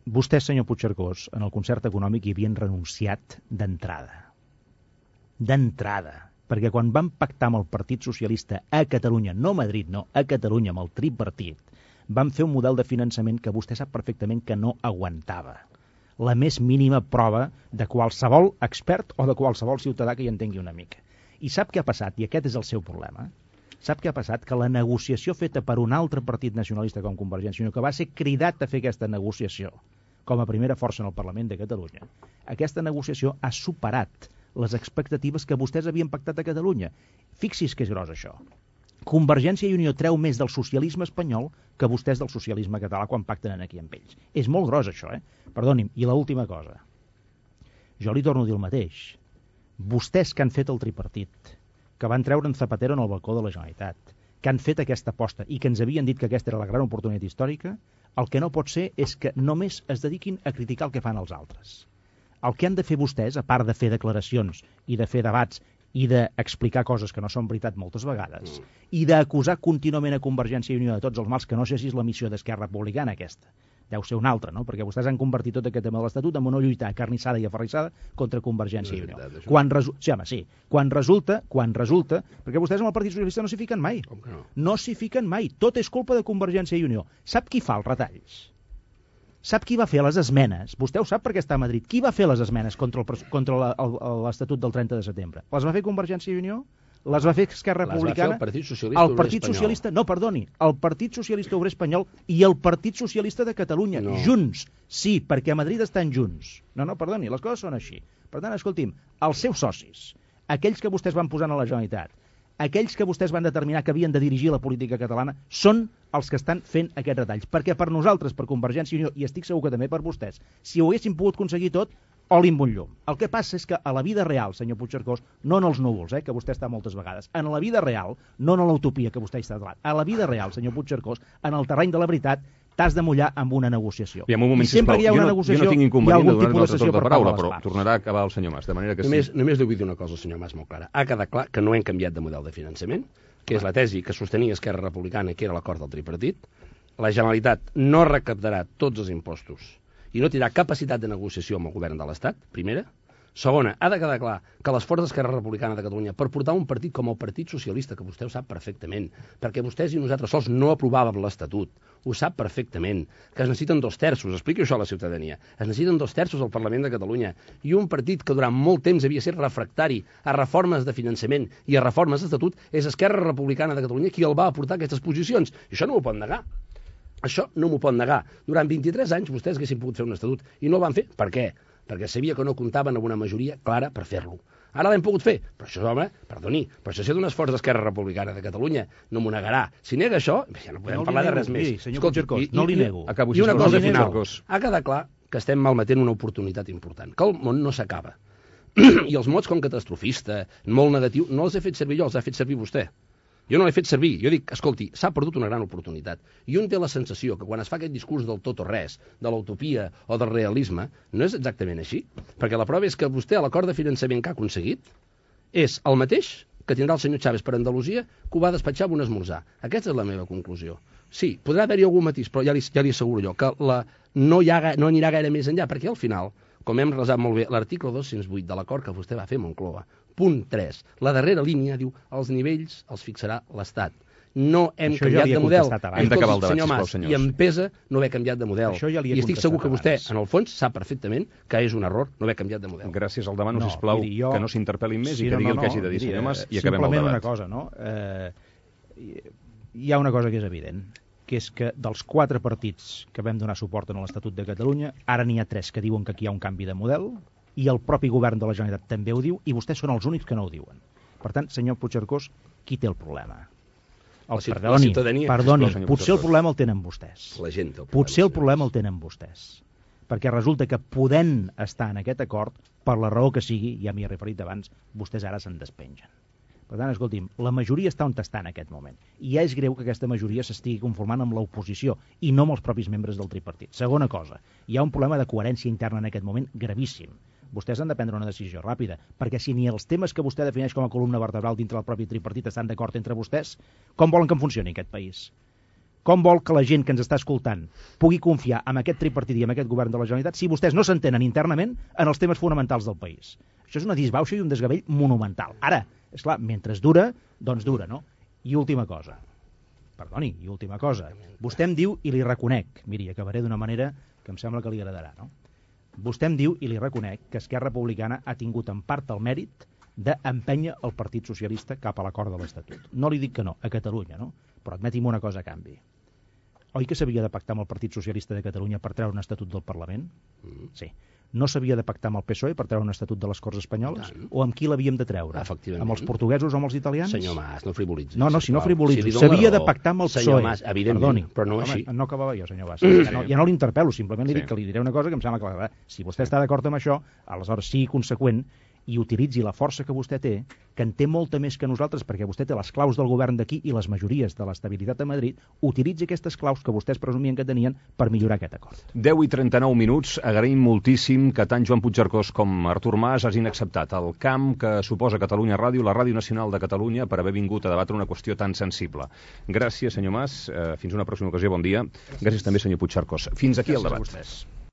Vostès, senyor Puigcercós, en el concert econòmic hi havien renunciat d'entrada. D'entrada. Perquè quan van pactar amb el Partit Socialista a Catalunya, no a Madrid, no, a Catalunya, amb el tripartit, van fer un model de finançament que vostè sap perfectament que no aguantava la més mínima prova de qualsevol expert o de qualsevol ciutadà que hi entengui una mica. I sap què ha passat? I aquest és el seu problema. Sap què ha passat? Que la negociació feta per un altre partit nacionalista com Convergència i Unió, que va ser cridat a fer aquesta negociació com a primera força en el Parlament de Catalunya, aquesta negociació ha superat les expectatives que vostès havien pactat a Catalunya. Fixi's que és gros això. Convergència i Unió treu més del socialisme espanyol que vostès del socialisme català quan pacten aquí amb ells. És molt gros això, Perdoni'm, i l'última cosa. Jo li torno a dir el mateix. Vostès que han fet el tripartit, que van treure en Zapatero en el balcó de la Generalitat, que han fet aquesta aposta i que ens havien dit que aquesta era la gran oportunitat històrica, el que no pot ser és que només es dediquin a criticar el que fan els altres. El que han de fer vostès, a part de fer declaracions i de fer debats i d'explicar coses que no són veritat moltes vegades, i d'acusar contínuament a Convergència i Unió de tots els mals, que no sé si és la missió d'Esquerra Republicana aquesta, deu ser una altra, no? Perquè vostès han convertit tot aquest tema de l'Estatut en una lluita acarnissada i aferrissada contra Convergència i Unió. Quan resulta, perquè vostès amb el Partit Socialista no s'hi fiquen mai. Com que no? No s'hi fiquen mai. Tot és culpa de Convergència i Unió. Sap qui fa els retalls? Sap qui va fer les esmenes? Vostè ho sap perquè està a Madrid. Qui va fer les esmenes contra l'Estatut del 30 de setembre? Les va fer Convergència i Unió? Les va fer Esquerra Republicana? El Partit Socialista Obrer Espanyol. No, perdoni, el Partit Socialista Obrer Espanyol i el Partit Socialista de Catalunya, junts. Sí, perquè a Madrid estan junts. No, perdoni, les coses són així. Per tant, escolti'm, els seus socis, aquells que vostès van posar a la Generalitat, aquells que vostès van determinar que havien de dirigir la política catalana, són els que estan fent aquests retalls. Perquè per nosaltres, per Convergència i Unió, i estic segur que també per vostès, si ho haguessin pogut aconseguir tot, oli amb un llum. El que passa és que a la vida real, senyor Puigcercós, no en els núvols, que vostè està moltes vegades, en la vida real, no en l'utopia que vostè està davant, a la vida real, senyor Puigcercós, en el terreny de la veritat, t'has de mullar amb una negociació. I sempre que hi ha una negociació, jo no tinc inconvenient de donar-nos el torn de paraula, però tornarà a acabar el senyor Mas, de manera que només li vull dir una cosa al senyor Mas molt clara. Ha quedat clar que no hem canviat de model de finançament, que és la tesi que sostenia Esquerra Republicana, que era l'acord del tripartit. La Generalitat no recaptarà tots els impostos i no tindrà capacitat de negociació amb el govern de l'Estat, primera. Segona, ha de quedar clar que l'esforç d'Esquerra Republicana de Catalunya per portar un partit com el Partit Socialista, que vostè ho sap perfectament, perquè vostès i nosaltres sols no aprovàvem l'Estatut, ho sap perfectament, que es necessiten 2 terços, expliqui això a la ciutadania, es necessiten 2 terços al Parlament de Catalunya, i un partit que durant molt temps havia estat refractari a reformes de finançament i a reformes d'Estatut, és Esquerra Republicana de Catalunya qui el va aportar aquestes posicions, i això no ho pot negar. Això no m'ho pot negar. Durant 23 anys vostès haguessin pogut fer un estatut i no el van fer. Per què? Perquè sabia que no comptaven amb una majoria clara per fer-lo. Ara l'hem pogut fer. Però això, home, perdoni, però això ha estat un esforç d'Esquerra Republicana de Catalunya. No m'ho negarà. Si nega això, ja no podem parlar de res més. Senyor Puigcercós, no li nego. I una cosa final. Ha quedat clar que estem malmetent una oportunitat important, que el món no s'acaba. I els mots com catastrofista, molt negatiu, no els he fet servir jo, els ha fet servir vostè. Jo no l'he fet servir. Jo dic, escolti, s'ha perdut una gran oportunitat. I un té la sensació que quan es fa aquest discurs del tot o res, de l'utopia o del realisme, no és exactament així. Perquè la prova és que vostè, a l'acord de finançament que ha aconseguit, és el mateix que tindrà el senyor Chaves per Andalusia, que ho va despatxar amb un esmorzar. Aquesta és la meva conclusió. Sí, podrà haver-hi algun matís, però ja li asseguro jo que no anirà gaire més enllà, perquè al final, com hem resat molt bé, l'article 208 de l'acord que vostè va fer a Moncloa, punt 3, la darrera línia diu els nivells els fixarà l'Estat. No hem canviat de model. Hem d'acabar el debat, sisplau, senyors. I em pesa no haver canviat de model. I estic segur que vostè, en el fons, sap perfectament que és un error no haver canviat de model. Gràcies, el demano, sisplau, que no s'interpel·lin més i que digui el que hagi de dir, senyor Mas, i acabem el debat. Simplement una cosa, no? Hi ha una cosa que és evident, que és que dels 4 partits que vam donar suport en l'Estatut de Catalunya, ara n'hi ha 3 que diuen que aquí hi ha un canvi de model, i el propi govern de la Generalitat també ho diu, i vostès són els únics que no ho diuen. Per tant, senyor Puigcercós, qui té el problema? Perdoni, potser el problema el tenen vostès. La gent té el problema. Potser el problema el tenen vostès. Perquè resulta que podent estar en aquest acord, per la raó que sigui, ja m'hi he referit abans, vostès ara se'n despengen. Per tant, escolti'm, la majoria està on està en aquest moment. I ja és greu que aquesta majoria s'estigui conformant amb l'oposició i no amb els propis membres del tripartit. Segona cosa, hi ha un problema de coherència interna en aquest moment gravíssim. Vostès han de prendre una decisió ràpida, perquè si ni els temes que vostè defineix com a columna vertebral dintre del propi tripartit estan d'acord entre vostès, com volen que en funcioni aquest país? Com vol que la gent que ens està escoltant pugui confiar en aquest tripartit i en aquest govern de la Generalitat si vostès no s'entenen internament en els temes fonamentals del país? Això és una disbauxa i un desgavell monumental. Ara, és clar, mentre dura, doncs dura, no? I última cosa. Perdoni, i última cosa. Vostè em diu, i li reconec, miri, acabaré d'una manera que em sembla que li agradarà, no? Vostè em diu, i li reconec, que Esquerra Republicana ha tingut en part el mèrit d'empènyer el Partit Socialista cap a l'acord de l'Estatut. No li dic que no, a Catalunya, no? Però admeti'm una cosa a canvi. Oi que s'havia de pactar amb el Partit Socialista de Catalunya per treure un estatut del Parlament? Sí. No s'havia de pactar amb el PSOE per treure un estatut de les Corts Espanyoles? O amb qui l'havíem de treure? Efectivament. Amb els portuguesos o amb els italians? Senyor Mas, no frivolitzi. No, si no frivolitzi. S'havia de pactar amb el PSOE. Senyor Mas, evidentment, però no així. No acabava jo, senyor Mas. Ja no l'interpel·lo, simplement li dic que li diré una cosa que em sembla clara. Si vostè està d'acord amb això, aleshores sigui conseqüent i utilitzi la força que vostè té, que en té molta més que nosaltres, perquè vostè té les claus del govern d'aquí i les majories de l'estabilitat a Madrid, utilitzi aquestes claus que vostès presumien que tenien per millorar aquest acord. 10:39. Agraïm moltíssim que tant Joan Puigcercós com Artur Mas hagin acceptat el camp que suposa Catalunya Ràdio, la Ràdio Nacional de Catalunya, per haver vingut a debatre una qüestió tan sensible. Gràcies, senyor Mas. Fins una pròxima ocasió. Bon dia. Gràcies també, senyor Puigcercós. Fins aquí el debat.